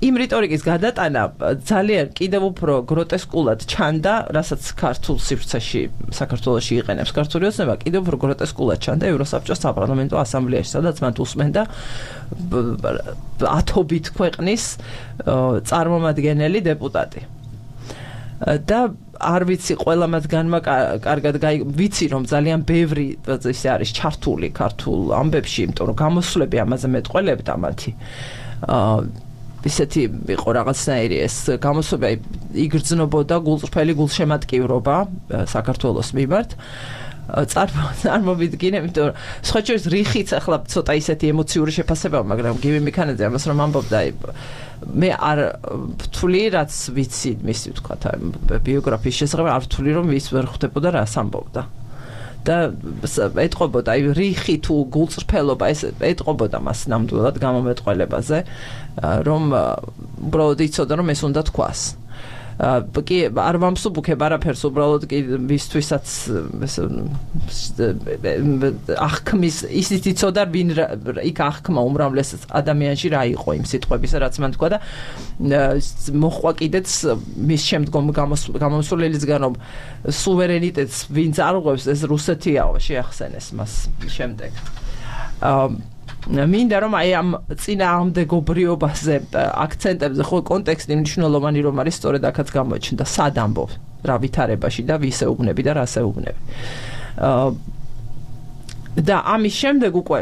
იმ რიტორიკის გადატანა ძალიან კიდევ უფრო გროტესკულად ჩანდა რასაც ქართულ სივრცეში საქართველოში იყენებს ქართული ოცნება კიდევ უფრო გროტესკულად ჩანდა ევროსაბჭოს საპარლამენტო ასამბლეაში სადაც მათ უსმენდა ათობით ქვეყნის წარმომადგენელი დეპუტატი და არ ვიცი ყველა მათგანმა კარგად ვიცი რომ ძალიან ბევრი ისე არის ჩართული ქართულ ამბებში იმიტომ რომ გამოსვლები ამაზე მეტყველებდა მათი ისეთი იყო რაღაცნაირი ეს გამოსვლები იგრძნობოდა გულწრფელი გულშემატკივრობა საქართველოს მიმართ წარმოვიდგინე, იმიტომ რომ სხვა შორის რიხიც ახლა ცოტა ისეთი ემოციური შეფასებაა, მაგრამ გივი მიქანაძე ამას რომ ამბობდა, მე არ ვთვლი, რაც ვიცი, მისი ვთქვათ, ბიოგრაფიის შესახებ არ ვთვლი, რომ ის ვერ ხვდებოდა რას ამბობდა. და ეტყობოდა, რიხი თუ გულწრფელობა ეს ეტყობოდა მას ნამდვილად გამომეტყველებაზე, რომ უბრალოდ იცოდა, რომ ეს უნდა თქვას. კი არ ვამსუბუქებ არაფერს, უბრალოდ კი მისთვისაც აღქმის ისიც იცოდა, ვინ იქ აღქმა უმრავლეს ადამიანში რა იყო იმ სიტყვებისა, რაც მან თქვა და მოხვა კიდეც მის შემდგომ გამოსულელისგან, რომ სუვერენიტეტს ვინც არღვევს, ეს რუსეთიაო, შეახსენეს მას შემდეგ. მინდა რომ აი ამ წინააღმდეგობრიობაზე აქცენტებზე ხო კონტექსტი მნიშვნელოვანი რომ არის სწორედ აქაც გამოჩნდა სად ამბობ რა ვითარებაში და ვის ეუბნები და რას ეუბნები და ამის შემდეგ უკვე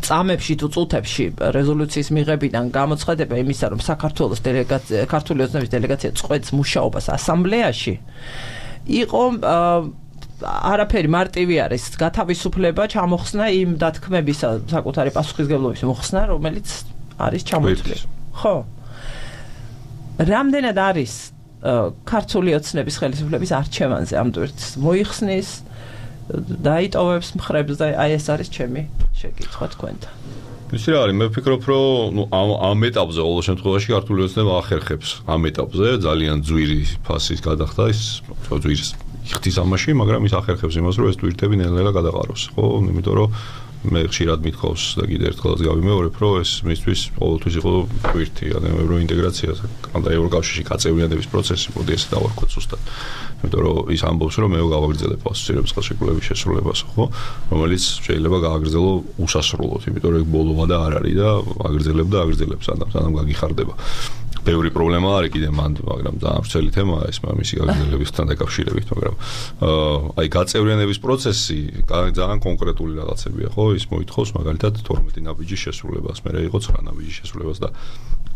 წამებში თუ წუთებში რეზოლუციის მიღებიდან გამოცხადება იმისა რომ საქართველოს დელეგაცია ქართული ოცნების დელეგაცია წყვეტს მუშაობას ასამბლეაში იყო არაფერი მარტივი არის გათავისუფლება ჩამოხსნა იმ დათქმებისა საკუთარი პასუხისგებლობის მოხსნა რომელიც არის ჩამოთვლილი ხო რამდენად არის ქართული ოცნების ხელისუფლების არჩევანზე ამ ტვირთს მოიხსნის დაიტოვებს მხრებს და აი ეს არის ჩემი შეკითხვა თქვენთან ისი რა არის მე ვფიქრობ რომ ამ ეტაპზე ყოველ შემთხვევაში ქართული ოცნება ახერხებს ამ ეტაპზე ძალიან ძვირი ფასის გადახდა ის ძვირის იხდის ამაში, მაგრამ ის ახერხებს იმას, რომ ეს ტვირთები ნელ-ნელა გადაყაროს, ხო? იმიტომ რომ მე ხშირად მithავს და კიდევ ერთხელაც გავიმეორებ, რომ ეს მისთვის ყოველთვის იყო ტვირთი, ანუ ევროინტეგრაცია და ევროკავშირში გაწევრიანების პროცესი, მოდი ესე დავარქვათ ზუსტად. იმიტომ რომ ის ამბობს, რომ მე გავაგრძელებ ასოცირების ხელშეკრულების შესრულებას, ხო? რომელიც შეიძლება გააგრძელო უსასრულოდ, იმიტომ რომ ბოლო ვადა არ არის და აგრძელებ და აგრძელებს სანამ გაგიხარდება. ბევრი პრობლემა არის კიდე მანდ, მაგრამ ძალიან ვრცელი თემაა ეს მისი გაგრძელებასთან დაკავშირებით, მაგრამ აი გაწევრიანების პროცესი ძალიან კონკრეტული რაღაცებია, ხო? ის მოითხოვს მაგალითად 12 ნაბიჯის შესრულებას, მერე იყო 9 ნაბიჯის შესრულებას და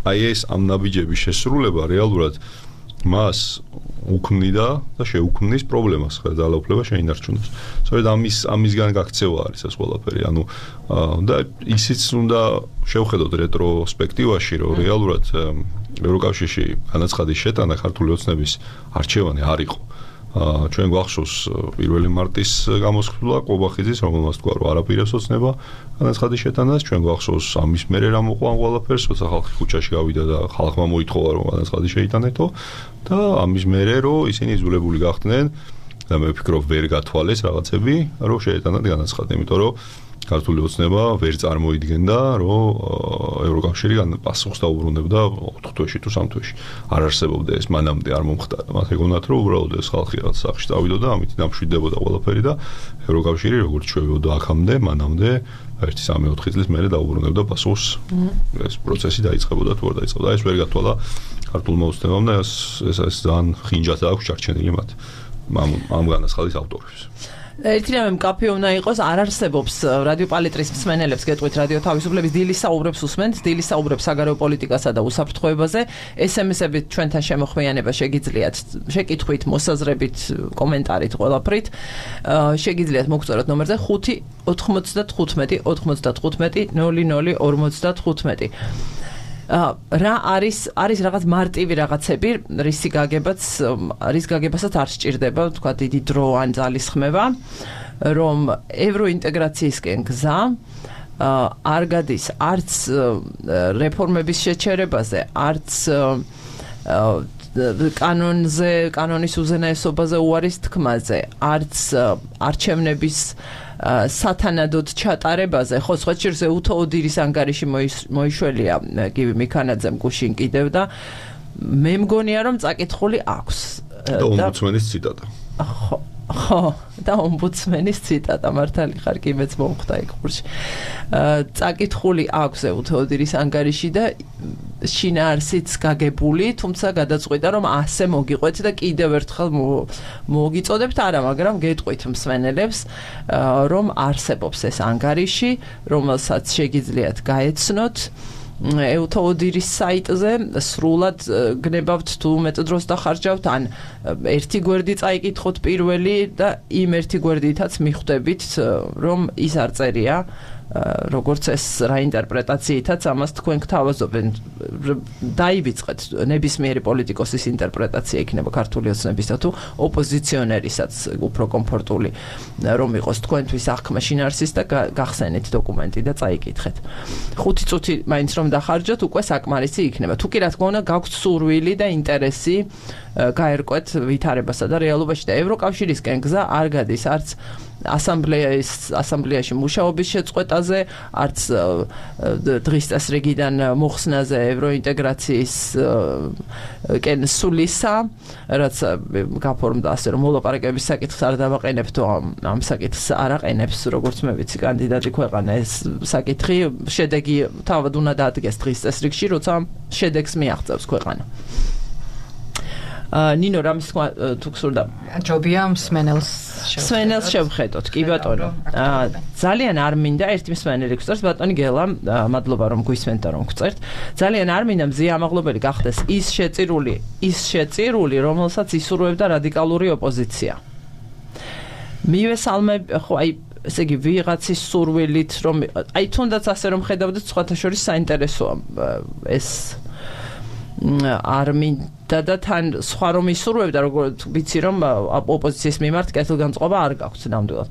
აი ეს ამ ნაბიჯების შესრულება რეალურად მას უქმნიდა და შეუქმნის პრობლემას ძალაუფლება შეინარჩუნოს. სწორედ ამისგან გაქცევა არის ეს ყველაფერი. ანუ და ისიც უნდა შევხედოთ რეტროსპექტივაში, რომ რეალურად ევროკავშირში განაცხადის შეტანა ქართული ოცნების არჩევანი არ იყო. ჩვენ გვახსოვს 1 მარტის გამოსხდვა ყობახიძის, რომელმაც თქვა, რომ არაპირებს ოცნება განაცხადის შეტანას, ჩვენ გვახსოვს ამის მერე რა მოყვა ყველაფერს, როცა ხალხი ქუჩაში გავიდა და ხალხმა მოითხოვა, რომ განაცხადი შეიტანეთო და ამის მერე რომ ისინი იძულებული გახდნენ და მე ვფიქრობ ვერ გათვალეს რაღაცები, რომ შეეტანათ განაცხადი, იმიტომ რომ ქართული ოცნება ვერ წარმოიდგენდა, რომ ევროკავშირი პასუხს დაუბრუნებდა 4 თვეში თუ 3 თვეში. არ არსებობდა ეს მანამდე არ მომხდარა. მათ ეგონათ, რომ უბრალოდ ეს ხალხი რაღაც სახში წავიდოდა, ამით დამშვიდდებოდა ყველაფერი და ევროკავშირი როგორც ჩვევიოდა აქამდე, მანამდე 1-3-4 წლის მერე დაუბრუნებდა პასუხს. ეს პროცესი დაიწყებოდა თუ არ დაიწყებოდა. ეს ვერ გათვალა ქართულმა ოცნებამ და ეს ძალიან ხინჯად აქვს ჩარჩენილი მათ ამ განაცხადის ავტორებს. ერთი რამე მკაფიო უნდა იყოს, არ არსებობს რადიო პალიტრის მსმენელებს გეტყვით რადიო თავისუფლების დილის საუბრებს უსმენთ, დილის საუბრებს საგარეო პოლიტიკასა და უსაფრთხოებაზე, SMS-ებით ჩვენთან შემოხვიანება შეგიძლიათ, შეკითხვით, მოსაზრებით, კომენტარით, ყველაფრით. შეგიძლიათ მოგწეროთ ნომერზე 5-95-95 00-55. რა არის რაღაც მარტივი რაღაცები, რის გაგებასაც არ სჭირდება, თქვა დიდი დრო ან ძალისხმევა, რომ ევროინტეგრაციისკენ გზა არ გადის არც რეფორმების შეჩერებაზე, არც კანონის უზენაესობაზე უარის თქმაზე, არც არჩევნების სათანადოდ ჩატარებაზე, ხო, სხვა შორის უთოოდირის ანგარიში მოიშველია გივი მიქანაძემ გუშინ კიდევ და მე მგონია რომ წაკითხული აქვს. და ომბუდსმენის ციტატა. ხო, და ომბუდსმენის ციტატა მართალი ხარ კი მეც მომხვდა იქ ხურში. წაკითხული აქვს უთოოდირის ანგარიში და შინაარსიც გაგებული, თუმცა გადაწყვიტა რომ ასე მოგიყვეთ და კიდევ ერთხელ მოგიწოდებთ არა, მაგრამ გეტყვით მსმენელებს, რომ არსებობს ეს ანგარიში, რომელსაც შეგიძლიათ გაეცნოთ ეუთოოდირის საიტზე სრულად გნებავთ თუ მეტ დროს დახარჯავთ ან ერთი გვერდი წაიკითხოთ პირველი და იმ ერთი გვერდითაც მიხვდებით რომ ის არ წერია როგორც ეს რა ინტერპრეტაციითაც ამას თქვენ გთავაზობენ დაივიწყეთ ნებისმიერი პოლიტიკოსის ინტერპრეტაცია იქნება ქართული ოცნებისა თუ ოპოზიციონერისაც უფრო კომფორტული რომ იყოს თქვენთვის აღქმა შინაარსის და გახსენით დოკუმენტი და წაიკითხეთ 5 წუთი მაინც რომ დახარჯოთ უკვე საკმარისი იქნება თუ კი რა თქმა უნდა გაქვთ სურვილი და ინტერესი გაერკვეთ ვითარებასა და რეალობაში და ევროკავშირისკენ გზა არ გადის არც ასამბლეაში მუშაობის შეწყვეტაზე, არც დღის წესრიგიდან მოხსნაზე ევროინტეგრაციის სულისა, რაც გაფორმდა ასე რომ მოლაპარაკების საკითხს არ დავაყენებ თუ ამ საკითხს არ აყენებს, როგორც მე ვიცი, კანდიდატი ქვეყანა ეს საკითხი შედეგი თავად უნდა დაადგეს დღის წესრიგში, როცა შედეგს მიაღწევს ქვეყანა. ნინო რამის თქვა თუ გსურდა ჯობია მსმენელს შევხედოთ კი ბატონო ძალიან არ მინდა ერთი მსმენელი გწერს ბატონი გელა მადლობა რომ გვისმენთ და რომ გწერთ ძალიან არ მინდა მზია ამაღლობელი გახდეს ის შეწირული რომელსაც ისურვებდა რადიკალური ოპოზიცია მივესალმებ ხო აი ესე იგი ვიღაცის სურვილით რომ აი თუნდაც ასე რომ ხედავდეთ სხვათა შორის საინტერესოა ეს არ მინდა და თან სხვა რომ ისურვებდა როგორც ვიცი რომ ოპოზიციის მიმართ კეთილგანწყობა არ გაქვთ ნამდვილად.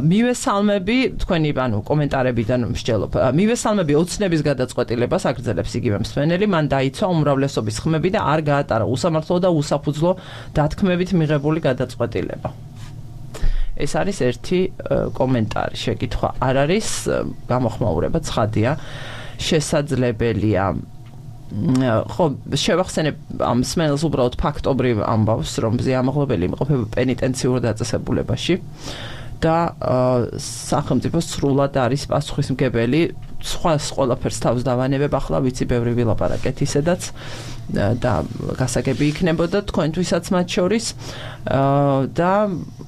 მივესალმები თქვენი ანუ კომენტარებიდან მსჯელობ. მივესალმები ოცნების გადაწყვეტილებას აგრძელებს იგივე მსმენელი, მან დაიცვა უმრავლესობის ხმები და არ გაატარა უსამართლო და უსაფუძვლო დათქმებით მიღებული გადაწყვეტილება. ეს არის ერთი კომენტარი, შეკითხვა არ არის, გამოხმაურება ცხადია, შესაძლებელია ხო შევახსენებ ამ მსმენელს უბრალოდ ფაქტობრივ ამბავს რომ მზია ამაღლობელი იმყოფება პენიტენციურ დაწესებულებაში და სახელმწიფო სრულად არის პასუხისმგებელი სხვას ყველაფერს თავს დავანებებ ახლა ვიცი ბევრი ვილაპარაკეთ ისედაც და გასაგები იქნებოდა თქვენთვისაც მათ შორის და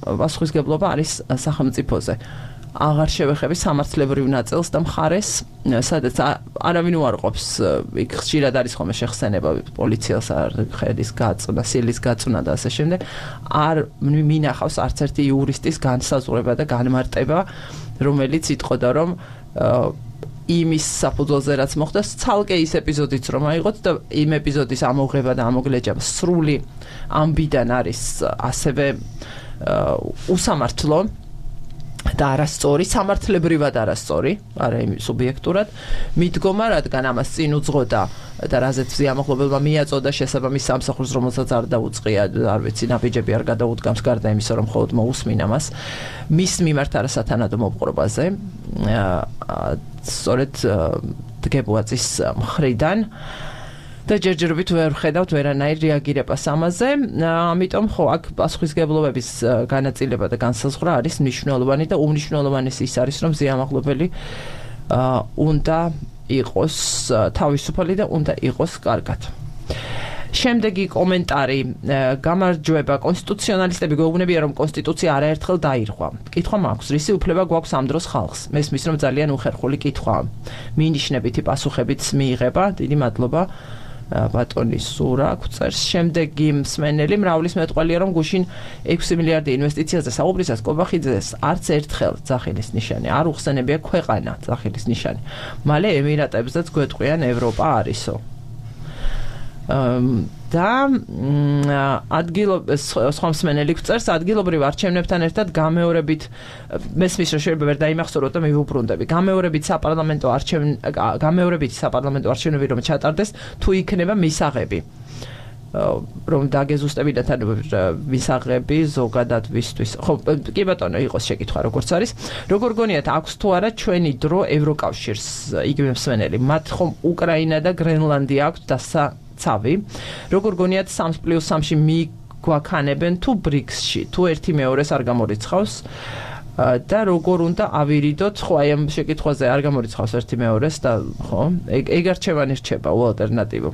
პასუხისმგებლობა არის სახელმწიფოზე აღარ შევეხები სამართლებრივ ნაწილს და მხარეს, სადაც არავინ უარყოფს, იქ ხშირად არის ხოლმე შეხსენება პოლიციას არ ხედის გაწუნა, სილის გაწუნა და ასე შემდეგ. არ მინახავს არც ერთი იურისტის განსაზღვრება და განმარტება, რომელიც იტყოდა რომ იმის საფუძველზე რაც მოხდა, ცალკე ის ეპიზოდიც რომ აიღოთ და იმ ეპიზოდის ამოღება და ამოგლეჯა სრული ამბიდან არის ასევე უსამართლო და არასწორი, სამართლებრივად არასწორი, არა იმ სუბიექტურად, მიდგომა, რადგან ამას წინ უძღოდა და რაზეც ზიამაღლობელმა მიაწოდა შესაბამის სამსახურს, რომელსაც არ დაუწყია, არ ვიცი, ნაბიჯები არ გადაუდგამს გარდა იმისა, რომ მხოლოდ მოусმინა მას, მის მიმართ არასათანადო მოპყრობაზე, სწორედ დგებუაწის მხრიდან და ჯერჯერობით ვერ ხედავთ ვერანაირ რეაგირებას ამაზე, ამიტომ ხო აქ პასუხისმგებლობების განაწილება და განსაზღვრა არის მნიშვნელოვანი და უმნიშვნელოვანესი ის არის, რომ ზიამაღლობელი უნდა იყოს თავისუფალი და უნდა იყოს კარგად. შემდეგი კომენტარი გამარჯვება კონსტიტუციონალისტები გვეუბნებიან რომ კონსტიტუცია არაერთხელ დაირღვა. კითხვა მაქვს, რისი უფლება გვაქვს ამ დროს ხალხს? მესმის რომ ძალიან უხერხული კითხვაა. მინიშნებითი პასუხებიც მიიღება. დიდი მადლობა. ბატონი სურა გვწერს შემდეგი მსმენელი მრავლის მეტყველია რომ გუშინ 6 მილიარდი ინვესტიციაზე საუბრისას კობახიძეს არც ერთხელ ძახილის ნიშანი არ უხსენებია ქვეყანა ძახილის ნიშანი მალე ემირატებზეც გვეტყვიან ევროპა არისო და სხვა მსმენელი გვწერს ადგილობრივ არჩევნებთან ერთად გამეორებით მესმის რომ შეიძლება ვერ დაიმახსოვროთ და მივუბრუნდები გამეორებით საპარლამენტო არჩევნები რომ ჩატარდეს თუ იქნება მისაღები რომ დაგეზუსტებინათ ანუ მისაღები ზოგადად ვისთვის ხო კი ბატონო იყოს შეკითხვა როგორც არის როგორ გონიათ აქვს თუ არა ჩვენი დრო ევროკავშირს იგივე მსმენელი მათ ხომ უკრაინა და გრენლანდია აქვს ცავი როგორ გონიათ 3+3-ში მიგვაქანებენ თუ ბრიქსში თუ ერთი მეორეს არ გამორიცხავს და როგორ უნდა ავირიდოთ ხო აი ამ შეკითხვაზე არ გამორიცხავს ერთი მეორეს და ხო ეგ არჩევანი რჩება უალტერნატივო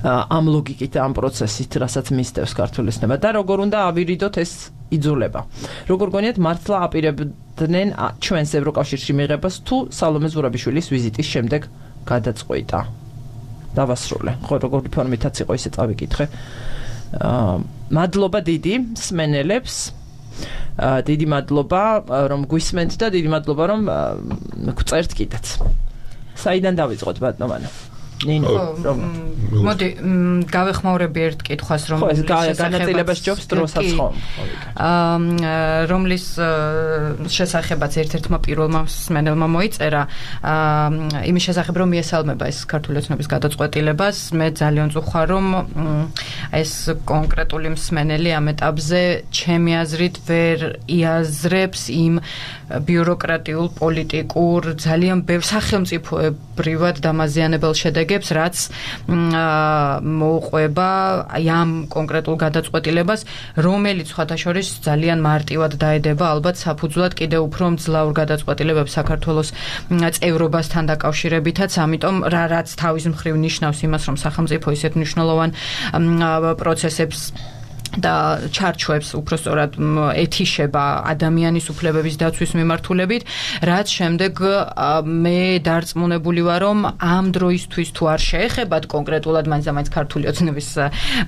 ამ ლოგიკით ამ პროცესით რასაც მისდევს ქართული ოცნება და როგორ უნდა ავირიდოთ ეს იძულება როგორ გონიათ მართლა ახლავდნენ ჩვენს ევროკავშირში მიღებას თუ სალომე ზურაბიშვილის ვიზიტის შემდეგ გადაწყვიტა. დავასრულე. ხო, როგორი ფორმითაც იყო ისე წავიკითხე. მადლობა დიდი მსმენელებს. დიდი მადლობა რომ გვისმენთ და დიდი მადლობა რომ გწერთ კიდეც. საიდან დავიწყოთ ბატონო? ნინო, მოდი გავეხმაურები ერთ კითხვას რომ განაწილებას ჯობს დროსაც ხომ. რომლის შესახებაც ერთ-ერთმა პირველმა მსმენელმა მოიწერა იმის შესახებ რომ მიესალმება ეს ქართული ოცნების გადაწყვეტილებას. მე ძალიან წუხარ რომ ეს კონკრეტული მსმენელი ამ ეტაპზე ჩემი აზრით ვერ იაზრებს იმ ბიუროკრატიულ, პოლიტიკურ, ძალიან ბევრ სახელმწიფოებრივად დამაზიანებელ შედეგებს, რაც მოუყვება ამ კონკრეტულ გადაწყვეტილებას, რომელიც სხვათაშორის ძალიან მარტივად დაედება ალბათ საფუძვლად კიდევ უფრო მძლავრ გადაწყვეტილებებს საქართველოს წევრობასთან დაკავშირებითაც, ამიტომ რაც თავის მხრივ ნიშნავს იმას, რომ სახელმწიფო ისეთ მნიშვნელოვან პროცესებს და ჩარჩოებს უпростоრად ეთიშება ადამიანის უფლებების დაცვის მიმართულებით, რაც შემდეგ მე დარწმუნებული ვარ, რომ ამ დროისთვის თუ არ შეეხებათ კონკრეტულად მაინც ქართული ოცნების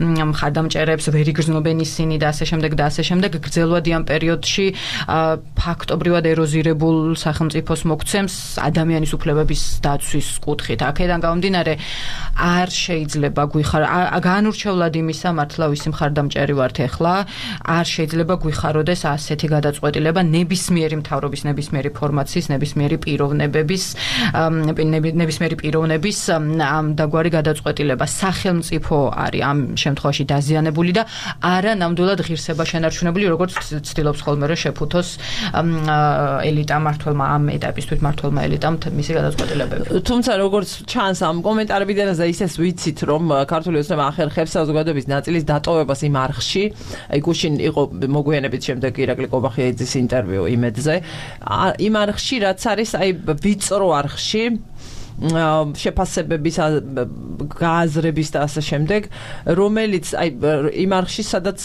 მხარდამჭერებს, ვერ იგრძნობენ ისინი და ასე შემდეგ და ასე შემდეგ, გრძელვადიან პერიოდში ფაქტობრივად ეროზირებულ სახელმწიფოს მოგცემს ადამიანის უფლებების დაცვის კუთხით. აქედან გამომდინარე, არ შეიძლება განურჩევლად იმისა, მართლა ვისი მხარდამჭერი ვართ ახლა, არ შეიძლება გვიხაროდეს ასეთი გადაწყვეტილება ნებისმიერი მთავრობის, ნებისმიერი ფორმაციის, ნებისმიერი პიროვნების ამ დაგვარი გადაწყვეტილება. სახელმწიფო არის ამ შემთხვევაში დაზიანებული და არა ნამდვილად ღირსება შენარჩუნებული, როგორც ცდილობს ხოლმე რომ შეფუთოს ელიტა მართლმა ამ ეტაპისთვის მართლმა ელიტამ მისი გადაწყვეტილებები. თუმცა როგორც ჩანს ამ კომენტარებიდან ისეს ვიცით რომ ქართული ოცნება ახერხებს საზოგადოების ნაწილის დატოვებას იმ არხში. აი გუშინ იყო მოგვიანებით შემდეგ ირაკლი კობახიძის ინტერვიუ იმედზე. იმ არხში რაც არის აი ვიწრო არხში შეფასებების გააზრების და ასე შემდეგ, რომელიც აი იმ არხში სადაც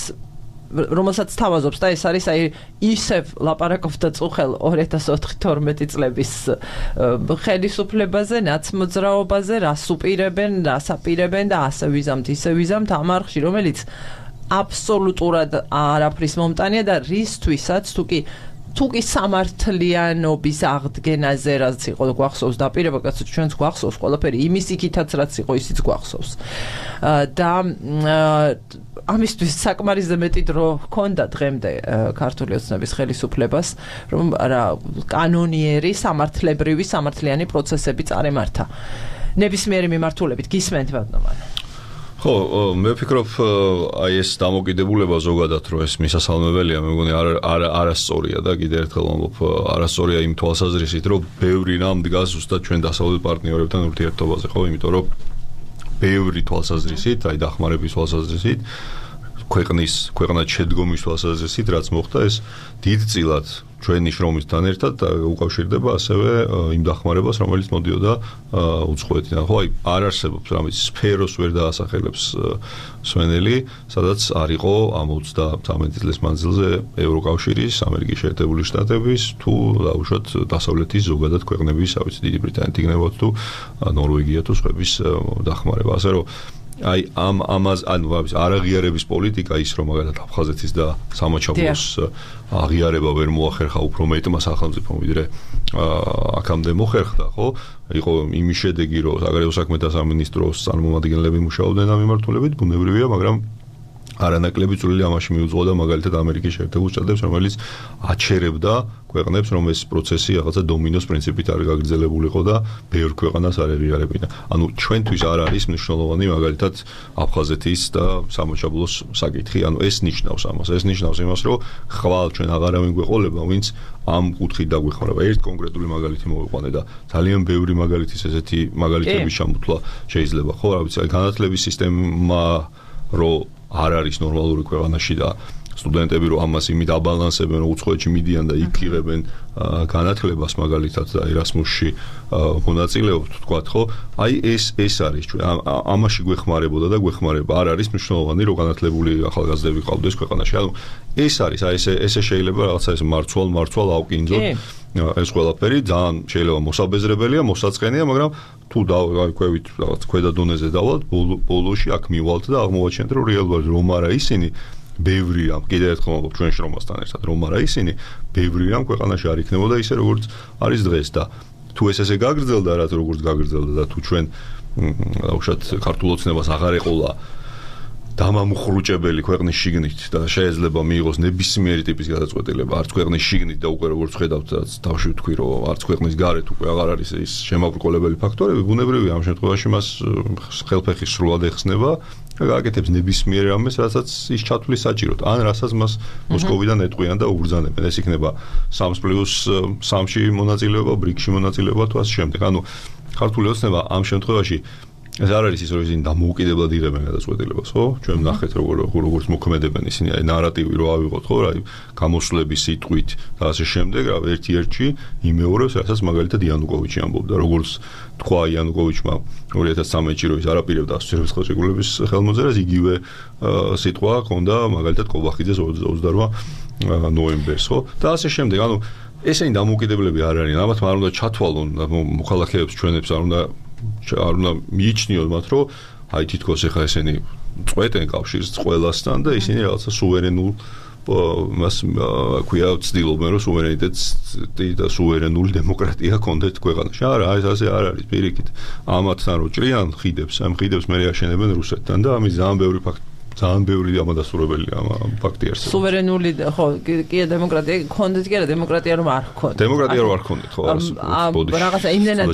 რომელსაც თავაზობს და ეს არის აი ისევ ლაპარაკობდა წუხელ 2004-12 წლების ხელისუფლებაზე, ნაცმოძრაობაზე, რას უპირებენ, რას აპირებენ და ასე ვიზამთ, ისე ვიზამთ ამ არხში, რომელიც აბსოლუტურად არაფრის მომტანია და რისთვისაც თუკი სამართლიანობის აღდგენაზე რაც იყო გვახსოვს დაპირება, კაცო ჩვენც გვახსოვს ყველაფერი იმის იქითაც რაც იყო ისიც გვახსოვს. და ამისთვის საკმარისზე მეტი დრო ჰქონდა დღემდე ქართული ოცნების ხელისუფლებას, რომ კანონიერი, სამართლებრივი, სამართლიანი პროცესები წარემართა. ნებისმიერი მიმართულებით გისმენთ ბატონო? ხო, მე ვფიქრობ, აი ეს დამოკიდებულება ზოგადად რომ ეს მისასალმებელია, მე მგონი არასწორია და კიდევ ერთხელ ვამბობ, არასწორია იმ თვალსაზრისით, რომ ბევრი რამ დგას ზუსტად ჩვენ დასავლეთ პარტნიორებთან ურთიერთობაზე, ხო, იმიტომ რომ ბევრი თვალსაზრისით, აი დახმარების თვალსაზრისით, ქვეყნად შედგომის თვალსაზრისით, რაც მოხდა, ეს დიდწილად ჩვენი შრომისთან ერთად უკავშირდება ასევე იმ დახმარებას, რომელიც მოდიოდა უცხოეთიდან. ხო, აი არ არსებობს რამის სფეროს ვერ დაასახელებს სვენელი, სადაც არ იყო ამ 33 წლის მანძილზე ევროკავშირის, ამერიკის შეერთებული შტატების თუ დაუშვათ დასავლეთის ზოგადად ქვეყნების, ავიცი დიდი ბრიტანეთი იქნებოდა თუ ნორვეგია თუ სხვების დახმარება. ასე რომ აი არაღიარების პოლიტიკა ის რომ მაგალითად აფხაზეთის და სამაჩაბლოს აღიარება ვერ მოახერხა უფრო მეტმა სახელმწიფომ ვიდრე აქამდე მოხერხდა, ხო? იყო იმის შედეგი, რომ საგარეო საქმეთა სამინისტროს წარმომადგენლები მუშაობდნენ ამ მიმართულებით, ბუნებრივია, მაგრამ არანაკლები წვლილი ამაში მიუძღოდა მაგალითად ამერიკის შეერთებულ შტატებს, რომელიც აჩერებდა ქვეყნებს, რომ ეს პროცესი რაღაცა დომინოს პრინციპით არ გაგრძელებულიყო და ბევრ ქვეყანას არ ეღიარებინა. ანუ ჩვენთვის არ არის მნიშვნელოვანი მაგალითად აფხაზეთის და სამაჩაბლოს საკითხი, ანუ ეს ნიშნავს ამას, ეს ნიშნავს იმას, რომ ხვალ ჩვენ აღარავინ გვეყოლება, ვინც ამ კუთხით დაგვეხმარება. ერთ კონკრეტული მაგალითი მოვიყვანე და ძალიან ბევრი მაგალითის ესეთი მაგალითების ჩამოთვლა შეიძლება, ხო, რა ვიცი, განათლების სისტემა რო არ არის ნორმალური ქვეყანაში და სტუდენტები რომ ამას იმით აბალანსებენ, რომ უცხოეთში მიდიან და იქ იღებენ განათლებას მაგალითად და ერასმუსში მონაწილეობთ, თქვათ, ხო? აი ეს არის ჩვენ ამაში გვეხმარებოდა და გვეხმარება. არ არის მნიშვნელოვანი რომ განათლებული ახალგაზრდები ყავდეს ქვეყანაში. ანუ ეს არის, აი ესე შეიძლება რაღაცა ეს მარცვალ ავკინძოთ. ეს ყველაფერი ძალიან შეიძლება მოსაბეზრებელია, მოსაწყენია, მაგრამ თუ დავიქვევით რაღაც ქვედა დონეზე დავალთ, ბოლოში აქ მივალთ და აღმოვაჩენთ, რომ რეალურად რომ არა ისინი ბევრია, კიდევ ერთხელ ვამბობ ჩვენში რომასთან ერთად, რომ არა ისინი ბევრია ქვეყანაში არ იქნებოდა ისე როგორც არის დღეს და თუ ესე გაგრძელდა, რაც როგორც გაგრძელდა და თუ ჩვენ უშუალოდ ქართულ ოცნებას აღარ ეყოლა დამამუხრუჭებელი ქვეყნის შიგნით და შეიძლება მიიღოს ნებისმიერი ტიპის გადაწყვეტილება არც ქვეყნის შიგნით და უკვე როგორც ხედავთ თავში ვთქვი რომ არც ქვეყნის გარეთ უკვე აღარ არის ის შემაბრკოლებელი ფაქტორები ბუნებრივია ამ შემთხვევაში მას ხელფეხი სრულად ეხსნება და გააკეთებს ნებისმიერ რამეს რასაც ის ჩათვლის საჭიროდ ან რასაც მას მოსკოვიდან ეტყვიან და უბრძანებენ ეს იქნება 3+3-ში მონაწილეობა ბრიკში მონაწილეობა თუ ასე შემდეგ ანუ ქართული ოცნება ამ შემთხვევაში ეს არ არის ის რომ ისინი დამოუკიდებლად იღებენ გადაწყვეტილებას, ხო? ჩვენ ვნახეთ როგორც მოქმედებენ ისინი, აი ნარატივი რო ავიღოთ, ხო, აი გამოსვლების სიტყვით და ასე შემდეგ, რა ერთ-ერთში იმეორებს, რასაც მაგალითად იანუკოვიჩი ამბობდა, როგორც თქვა იანუკოვიჩმა 2013-ში რომ ის არაპირებდა ასოცირების ხელშეკრულების ხელმოწერას, იგივე სიტყვა ჰქონდა მაგალითად კოლბახიძეს 28 ნოემბერს, ხო? და ასე შემდეგ, ანუ ესენი დამოუკიდებლები არ არიან, ალბათ არ უნდა ჩათვალონ მოქალაქეებს ჩვენებს არ უნდა მიიჩნიოთ მათ რომ აი თითქოს ეხა ესენი წვეტენ კავშირს ყველასთან და ისინი რაღაცა სუვერენულ მას ქვია ცდილობენ რომ სუვერენიტეტი და სუვერენული დემოკრატია კონდეთ ქვეყანაში არა ეს ასე არ არის პირიქით ამათთან რო ჭრიან ხიდებს ამ ხიდებს მე აშენებენ რუსეთთან და ამის ძალიან ბევრი ამადასტურებელია ამ ფაქტი არსებობს. სუვერენული ხო, კი დემოკრატია კონდეთ კი არა დემოკრატია რომ არ ჰქონდეთ. დემოკრატია რომ არ ჰქონდეთ, ხო, რაღაცა იმდენად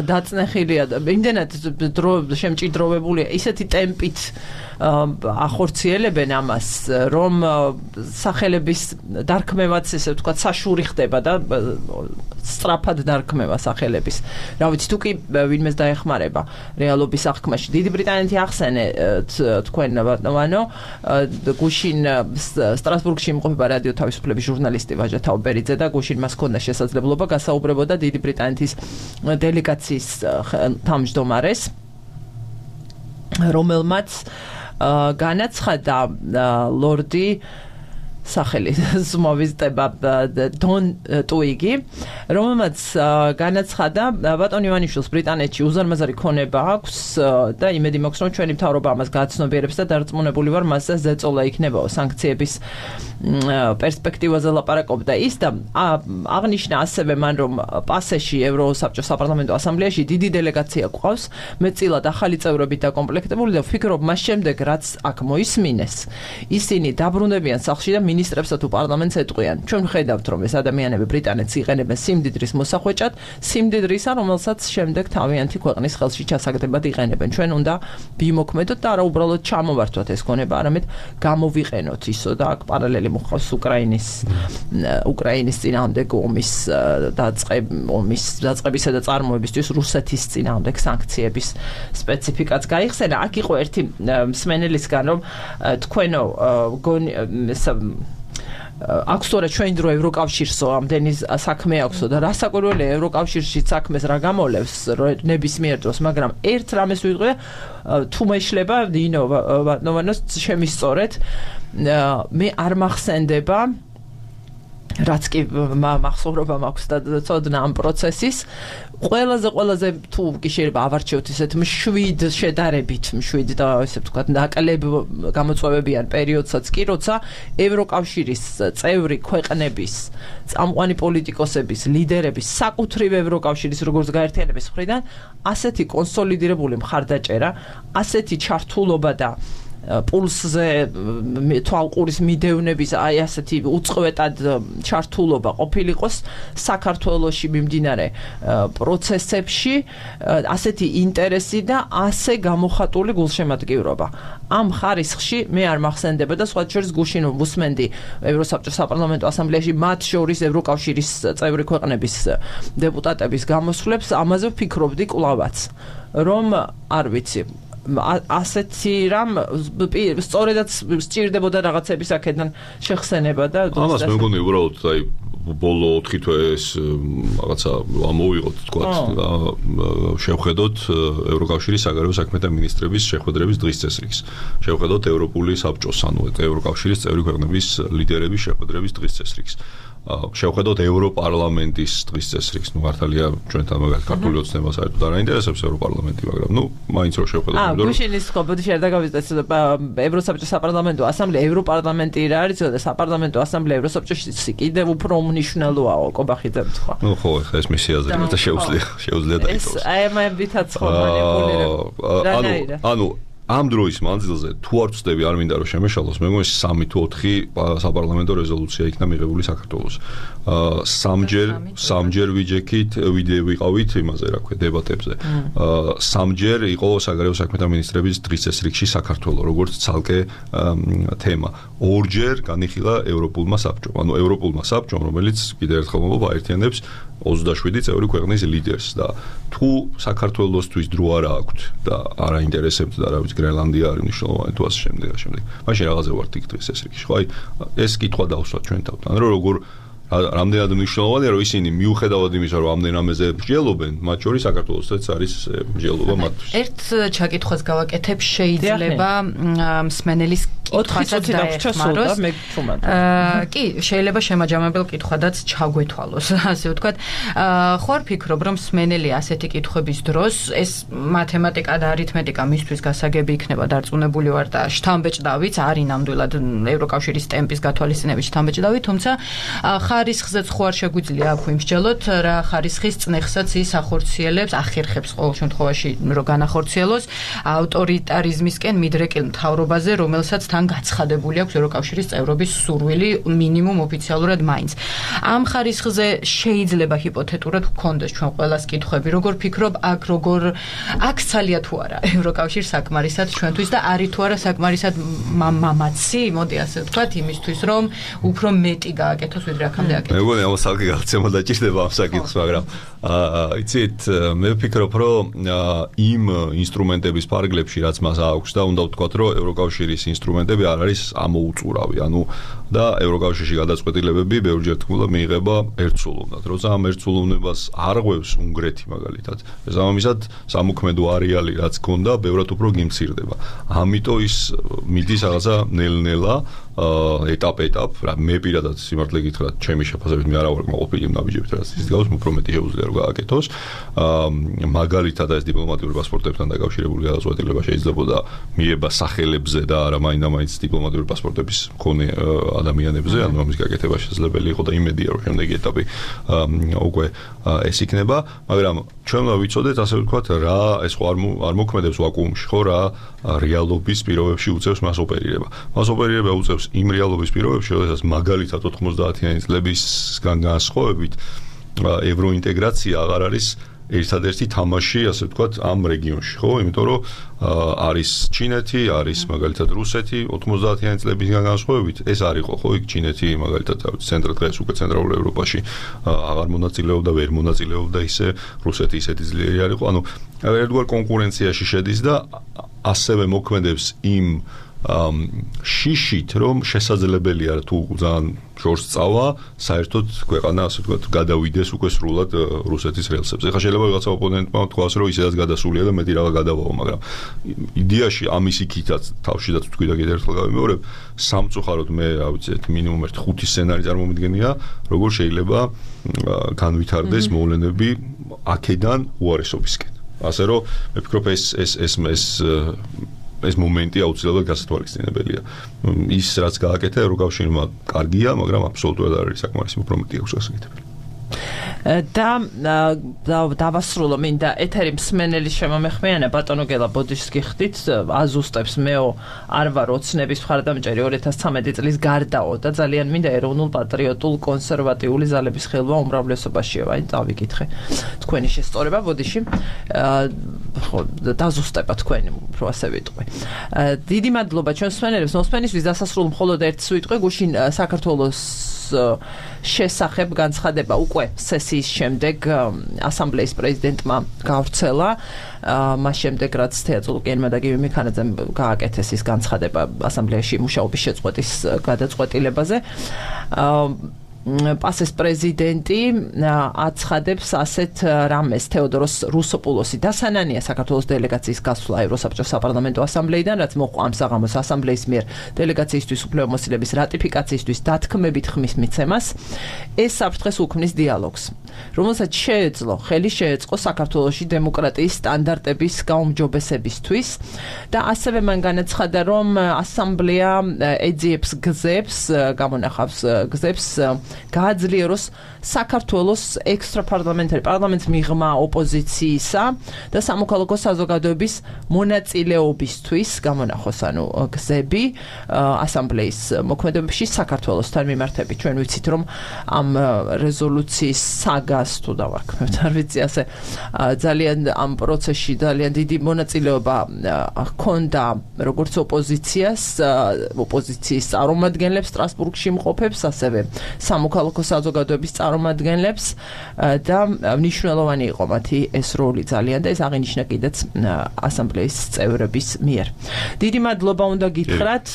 დაწნეხილია, იმდენად დრო შემჭიდროვებულია, ისეთი ტემპით ახორციელებენ ამას, რომ სახელების დარქმევაც ესე ვთქვათ საშური ხდება და სწრაფად დარქმევა სახელების. რა ვიცი, თუ კი ვინმეს დაეხმარება რეალობის აღქმაში. დიდი ბრიტანეთი ახსენე თქვენ ბატონო, გუშინ სტრასბურგში იმყოფება რადიო თავისუფლების ჟურნალისტი ვაჟა თაუბერიძე და გუშინ მას ჰქონდა შესაძლებლობა გასაუბრებოდა დიდი ბრიტანეთის დელეგაციის თავმჯდომარეს, რომელმაც განაცხადა ლორდი სახელი ზმოვიზდება დონ ტუიგი, რომელმაც განაცხადა ბატონ ივანიშვილს ბრიტანეთში უზარმაზარი ქონება აქვს და იმედი მაქვს რომ ჩვენი მთავრობა ამას გააცნობიერებს და დარწმუნებული ვარ მასზე ზეწოლა იქნებაო სანქციების პერსპექტივაზე ლაპარაკობდა ის და აღნიშნა ასევე მან რომ პასეში ევროსაბჭოს საპარლამენტო ასამბლეაში დიდი დელეგაცია გვყავს მეტწილად ახალი წევრებით დაკომპლექტებული და ვფიქრობ მას შემდეგ რაც აქ მოისმინეს ისინი დაბრუნდებიან სახლში და მინისტრებსა თუ პარლამენტს ეტყვიან. ჩვენ ხედავთ რომ ეს ადამიანები ბრიტანეთს იყენებენ სიმდიდრის მოსახვეჭად, სიმდიდრისა, რომელსაც შემდეგ თავიანთი ქვეყნის ხელში ჩასაგდებად იყენებენ. ჩვენ უნდა ვიმოქმედოთ და არა უბრალოდ ჩამოვართვათ ეს ქონება, არამედ გამოვიყენოთ ისო და აქ პარალელი მოხავს უკრაინის წინააღმდეგ ომის დაწყებისა და წარმოებისთვის რუსეთის წინააღმდეგ სანქციების სპეციფიკაც გაიხსენა. აქ იყო ერთი მსმენელისგან რომ თქვენო აქვს თორე ჩვენ დრო ევროკავშირსო ამდენი საქმე აქვსო და რასაკვირველია ევროკავშირში საქმეს რა გამოლევს ნებისმიერ დროს მაგრამ ერთ რამეს ვიტყვი თუ მეშლება ნოვანოს შემისწორეთ მე არ მახსენდება რაც კი მახსოვრობა მაქვს და ცოდნა ამ პროცესის ყველაზე თუ კი შეიძლება ავარჩიოთ ესეთ მშვიდ შედარებით მშვიდ და ესე ვთქვათ ნაკლებ გამოწვევებიან პერიოდსაც კი როცა ევროკავშირის წევრი ქვეყნების წამყვანი პოლიტიკოსების ლიდერების საკუთრივ ევროკავშირის როგორც გაერთიანების მხრიდან ასეთი კონსოლიდირებული მხარდაჭერა ასეთი ჩართულობა და პულსზე თვალყურის მიდევნების აი ასეთი უწყვეტად ჩართულობა ყოფილიყოს საქართველოში მიმდინარე პროცესებში ასეთი ინტერესი და ასე გამოხატული გულშემატკივრობა ამ ხარისხში მე არ მახსენდება და სხვა შორის გუშინ ვუსმენდი ევროსაბჭოს საპარლამენტო ასამბლეაში მათ შორის ევროკავშირის წევრი ქვეყნების დეპუტატების გამოსვლებს ამაზე ვფიქრობდი კვლავაც რომ არ ვიცი ასეთი რამ სწორედაც სჭირდებოდა რაღაცების აქედან შეხსენება და ამას მე მგონი უბრალოდ აი ბოლო 4 თვე ეს რაღაცა ამოვიღოთ თქვა შევხედოთ ევროკავშირის საგარეო საქმეთა მინისტრების შეხვედრების დღის წესრიგს შევხედოთ ევროპული საბჭოს ანუ ევროკავშირის წევრი ქვეყნების ლიდერების შეხვედრების დღის წესრიგს შევხედოთ ევროპარლამენტის დღის წესრიგს ნუ მართალია ჩვენთან მაგალითად ქართული ოცნება საერთოდ არ აინტერესებს ევროპარლამენტი მაგრამ ნუ მაინც რო შევხედოთ გუშინის ხობოდი შეიძლება გავიზრდეთ ევროსაბჭოს საპარლამენტო ასამბლეა ევროპარლამენტი რა არის და საპარლამენტო ასამბლეა ევროსაბჭოში კიდევ უფრო უმნიშვნელოა კობახიძე თქვა ნუ ხო ეხლა ეს მისი აზრია და შეუძლია დაიტოვოს ეს აი ამებითაც ხო მანიპულირება ანუ ამ დროის მანძილზე თუ არ ვწდები არ მინდა რომ შემეშალოს მე მგონი 3 თუ 4 საპარლამენტო რეზოლუცია იქნა მიღებული საქართველოს სამჯერ ვიყავით იმაზე რა ქვია დებატებზე სამჯერ იყო საგარეო საქმეთა მინისტრების დღის წესრიგში საქართველოს როგორც ცალკე თემა ორჯერ განიხილა ევროპულმა საბჭომ ანუ ევროპულმა საბჭომ რომელიც კიდევ ერთხელ მომობა აერთიანებს 27 წევრი ქვეყნის ლიდერს და თუ საქართველოსთვის დრო არ აქვს და არ აინტერესებთ და რა ვიცი გრენლანდია არის მნიშვნელოვანი თუ ასე შემდეგ მაშინ რაღაცა ვარ იქ დღეს ეს რიგი ხო აი ეს კითხვა დავსვათ ჩვენ თავთან რომ როგორ რამდენად მნიშვნელოვანია რომ ისინი მიუხედავად იმისა რომ ამდენ ამაზე მსჯელობენ მათ შორის საქართველოსაც არის მსჯელობა მათთვის ერთ ჩაკითხვას გავაკეთებ შეიძლება მსმენელის კითხვასაც დაეხმაროს კი შეიძლება შემაჯამებელ კითხვადაც ჩაგვეთვალოს ასე ვთქვათ ხო არ ფიქრობ რომ მსმენელი ასეთი კითხვების დროს ეს მათემატიკა და არითმეტიკა მისთვის გასაგები იქნება დარწმუნებული ვარ და შთამბეჭდავით არის ნამდვილად ევროკავშირის ტემპის გათვალისწინებით შთამბეჭდავით თუმცა ხარისხზეც ხო არ შეგვიძლია აქ ვიმსჯელოთ რა ხარისხის წნეხსაც ის ახორციელებს ახერხებს ყოველ შემთხვევაში რომ განახორციელოს ავტორიტარიზმისკენ მიდრეკილ მთავრობაზე რომელსაც თან გაცხადებული აქვს ევროკავშირის წევრობის სურვილი მინიმუმ ოფიციალურად მაინც ამ ხარისხზე შეიძლება ჰიპოთეტურად გქონდეს ჩვენ ყველას კითხვები როგორ ფიქრობ აქ ცალია თუ არა ევროკავშირს საკმარისად ჩვენთვის და არის თუ არა საკმარისად მამაცი მოდი ასე ვთქვათ იმისთვის რომ უფრო მეტი გააკეთოს ვიდრე აქამდე აკეთეს მე მგონი ამას ალკი გაქცემა დაჭირდება ამ საკითხს მაგრამ იცით მე ვფიქრობ რომ იმ ინსტრუმენტების ფარგლებში რაც მას აქვს და უნდა ვთქვათ რომ ევროკავშირის ინსტრუმენტები არ არის ამოუწურავი ანუ და ევროკავშირში გადაწყვეტილებები ბევრჯერ თქმულა მიიღება ერთსულოვნად როცა ამ ერთსულოვნებას არ ღვევს უნგრეთი მაგალითად შესაბამისად სამოქმედო არეალი რაც გქონდა ბევრად უფრო გიმცირდება ამიტომ ის მიდის რაღაცა ნელ-ნელა ეტაპ რა მე პირადად სიმართლე გითხრათ ჩემი შეფასებით მე არა ვარ კმაყოფილი ნაბიჯებით რაც ის გავს უფრო მეტი შეუძლია რომ გააკეთოს მაგალითად ეს დიპლომატიური პასპორტებთან დაკავშირებული გადაწყვეტილება შეიძლებოდა მიება სახელებზე და არა მაინდა-მაინც დიპლომატიური პასპორტების მქონე ადამიანებზე ანუ ამის გაკეთება შესაძლებელი იყო და იმედია რომ შემდეგი ეტაპი უკვე ეს იქნება მაგრამ ჩვენ უნდა ვიცოდეთ ასე ვთქვათ რა ეს ხო არ მოქმედებს ვაკუუმში ხო რა რეალობის პირობებში უწევს მას ოპერირება უწევს იმ რეალობის პირობებში როდესაც მაგალითად 90-იანი წლებისგან განსხვავებით ევროინტეგრაცია აღარ არის ერთადერთი თამაში ასე ვთქვათ ამ რეგიონში ხო იმიტომ რომ არის ჩინეთი არის მაგალითად რუსეთი 90-იანი წლებისგან განსხვავებით ეს არ იყო ხო იქ ჩინეთი მაგალითად დღეს უკვე ცენტრალურ ევროპაში აღარ მონაწილეობდა ვერ მონაწილეობდა ისე რუსეთი ისეთი ძლიერი არ იყო ანუ ერთგვარ კონკურენციაში შედის და ასევე მოქმედებს იმ შიშით რომ შესაძლებელია თუ ძალიან შორს წავა საერთოდ ქვეყანა ასე ვთქვათ გადავიდეს უკვე სრულად რუსეთის რელსებზე. ეხლა შეიძლება ვიღაცა ოპონენტმა თქვას რომ ისედაც გადასულია და მეტი რაღაც გადავაო, მაგრამ იდეაში ამის იქითაც თავშიდაც თქვი და კიდევ ერთხელ გავიმეორებ, სამწუხაროდ მე რა ვიცი მინიმუმ 5 სცენარი წარმომიდგენია, როგორ შეიძლება განვითარდეს მოვლენები აქედან უარესობისკენ. ასე რომ მე ვფიქრობ ეს მომენტი აუცილებლად გასათვალისწინებელია. ის რაც გააკეთა ევროკავშირმა კარგია, მაგრამ აბსოლუტურად არ არის საკმარისი უფრო მეტი აქვს გასაკეთებელი. და დავასრულო მინდა ეთერი მსმენელის შემომეხმიანება ბატონო გელა ბოდიშს გიხდით აზუსტებს მეო არ ვარ ოცნების მხარდამჭერი 2013 წლის გარდაო და ძალიან მინდა ეროვნულ პატრიოტულ კონსერვატიული ზალების ხელვა უმრავლესობაშია აი დავიკითხე თქვენი შესწორება ბოდიში ხო დაზუსტება თქვენი უფრო ასე ვიტყვი დიდი მადლობა ჩვენ მსმენელებს მოსმენისთვის დასასრულ მხოლოდ ერთ სიტყვი გუშინ საქართველოს შესახებ განცხადება უკვე სესიის შემდეგ ასამბლეის პრეზიდენტმა გავრცელა. მას შემდეგ რაც თეატრულკიანმა და გივი მიქანაძემ გააკეთეს ის განცხადება ასამბლეაში მუშაობის შეწყვეტის გადაწყვეტილებაზე. პასეს პრეზიდენტი აცხადებს ასეთ რამეს თეოდოროს რუსოპულოსი დასანანია საქართველოს დელეგაციის გასვლა ევროსაბჭოს საპარლამენტო ასამბლეიდან, რაც მოყვა ამ საღამოს ასამბლეის მიერ დელეგაციისთვის უფლებამოსილების რატიფიკაციისთვის დათქმებით ხმის მიცემას. ეს საფრთხეს უქმნის დიალოგს, რომელსაც ხელი შეეწყო საქართველოში დემოკრატიის სტანდარტების გაუმჯობესებისთვის და ასევე მან განაცხადა, რომ ასამბლეა ეძიებს გზებს, გამონახავს გზებს გააძლიეროს საქართველოს პარლამენტს მიღმა ოპოზიციისა და სამოქალაქო საზოგადოების მონაწილეობისთვის გამონახოს გზები ასამბლეის მოქმედებაში საქართველოსთან მიმართებით. ჩვენ ვიცით, რომ ამ რეზოლუციის საგას თუ დავარქმევთ, არ ვიცი, ასე ძალიან ამ პროცესში ძალიან დიდი მონაწილეობა ჰქონდა როგორც ოპოზიციის წარმომადგენლებს სტრასბურგში მყოფებს, ასევე სამოქალაქო საზოგადოების წარმომადგენლებს და მნიშვნელოვანი იყო მათი ეს როლი ძალიან და ეს აღინიშნა კიდეც ასამბლეის წევრების მიერ. დიდი მადლობა უნდა გითხრათ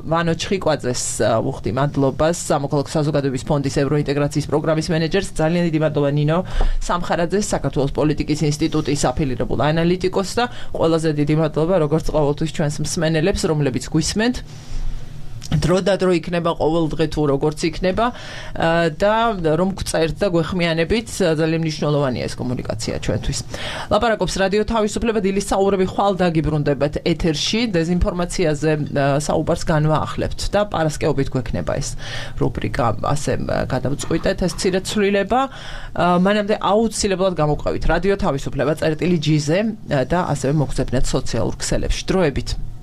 ვანო ჩხიკვაძეს, უხდი მადლობას, სამოქალაქო საზოგადოების ფონდის ევროინტეგრაციის პროგრამის მენეჯერს, ძალიან დიდი მადლობა ნინო სამხარაძეს, საქართველოს პოლიტიკის ინსტიტუტის აფილირებულ ანალიტიკოსს და ყველაზე დიდი მადლობა როგორც ყოველთვის ჩვენს მსმენელებს, რომლებიც გვისმენთ. დრო და დრო იქნება ყოველდღე თუ როგორც იქნება და რომ გწერთ და გვეხმიანებით, ძალიან მნიშვნელოვანია ეს კომუნიკაცია ჩვენთვის. ლაპარაკობს რადიო თავისუფლება, დილის საუბრები ხვალ დაგიბრუნდებათ ეთერში, დეზინფორმაციაზე საუბარს განვაახლებთ და პარასკევობით გვექნება ეს რუბრიკა, ასე გადავწყვიტეთ ეს მცირე ცვლილება. მანამდე აუცილებლად გამოვყევით რადიო თავისუფლება წერტილი G-ზე და ასევე მოგზავნეთ სოციალურ ქსელებში. დროებით.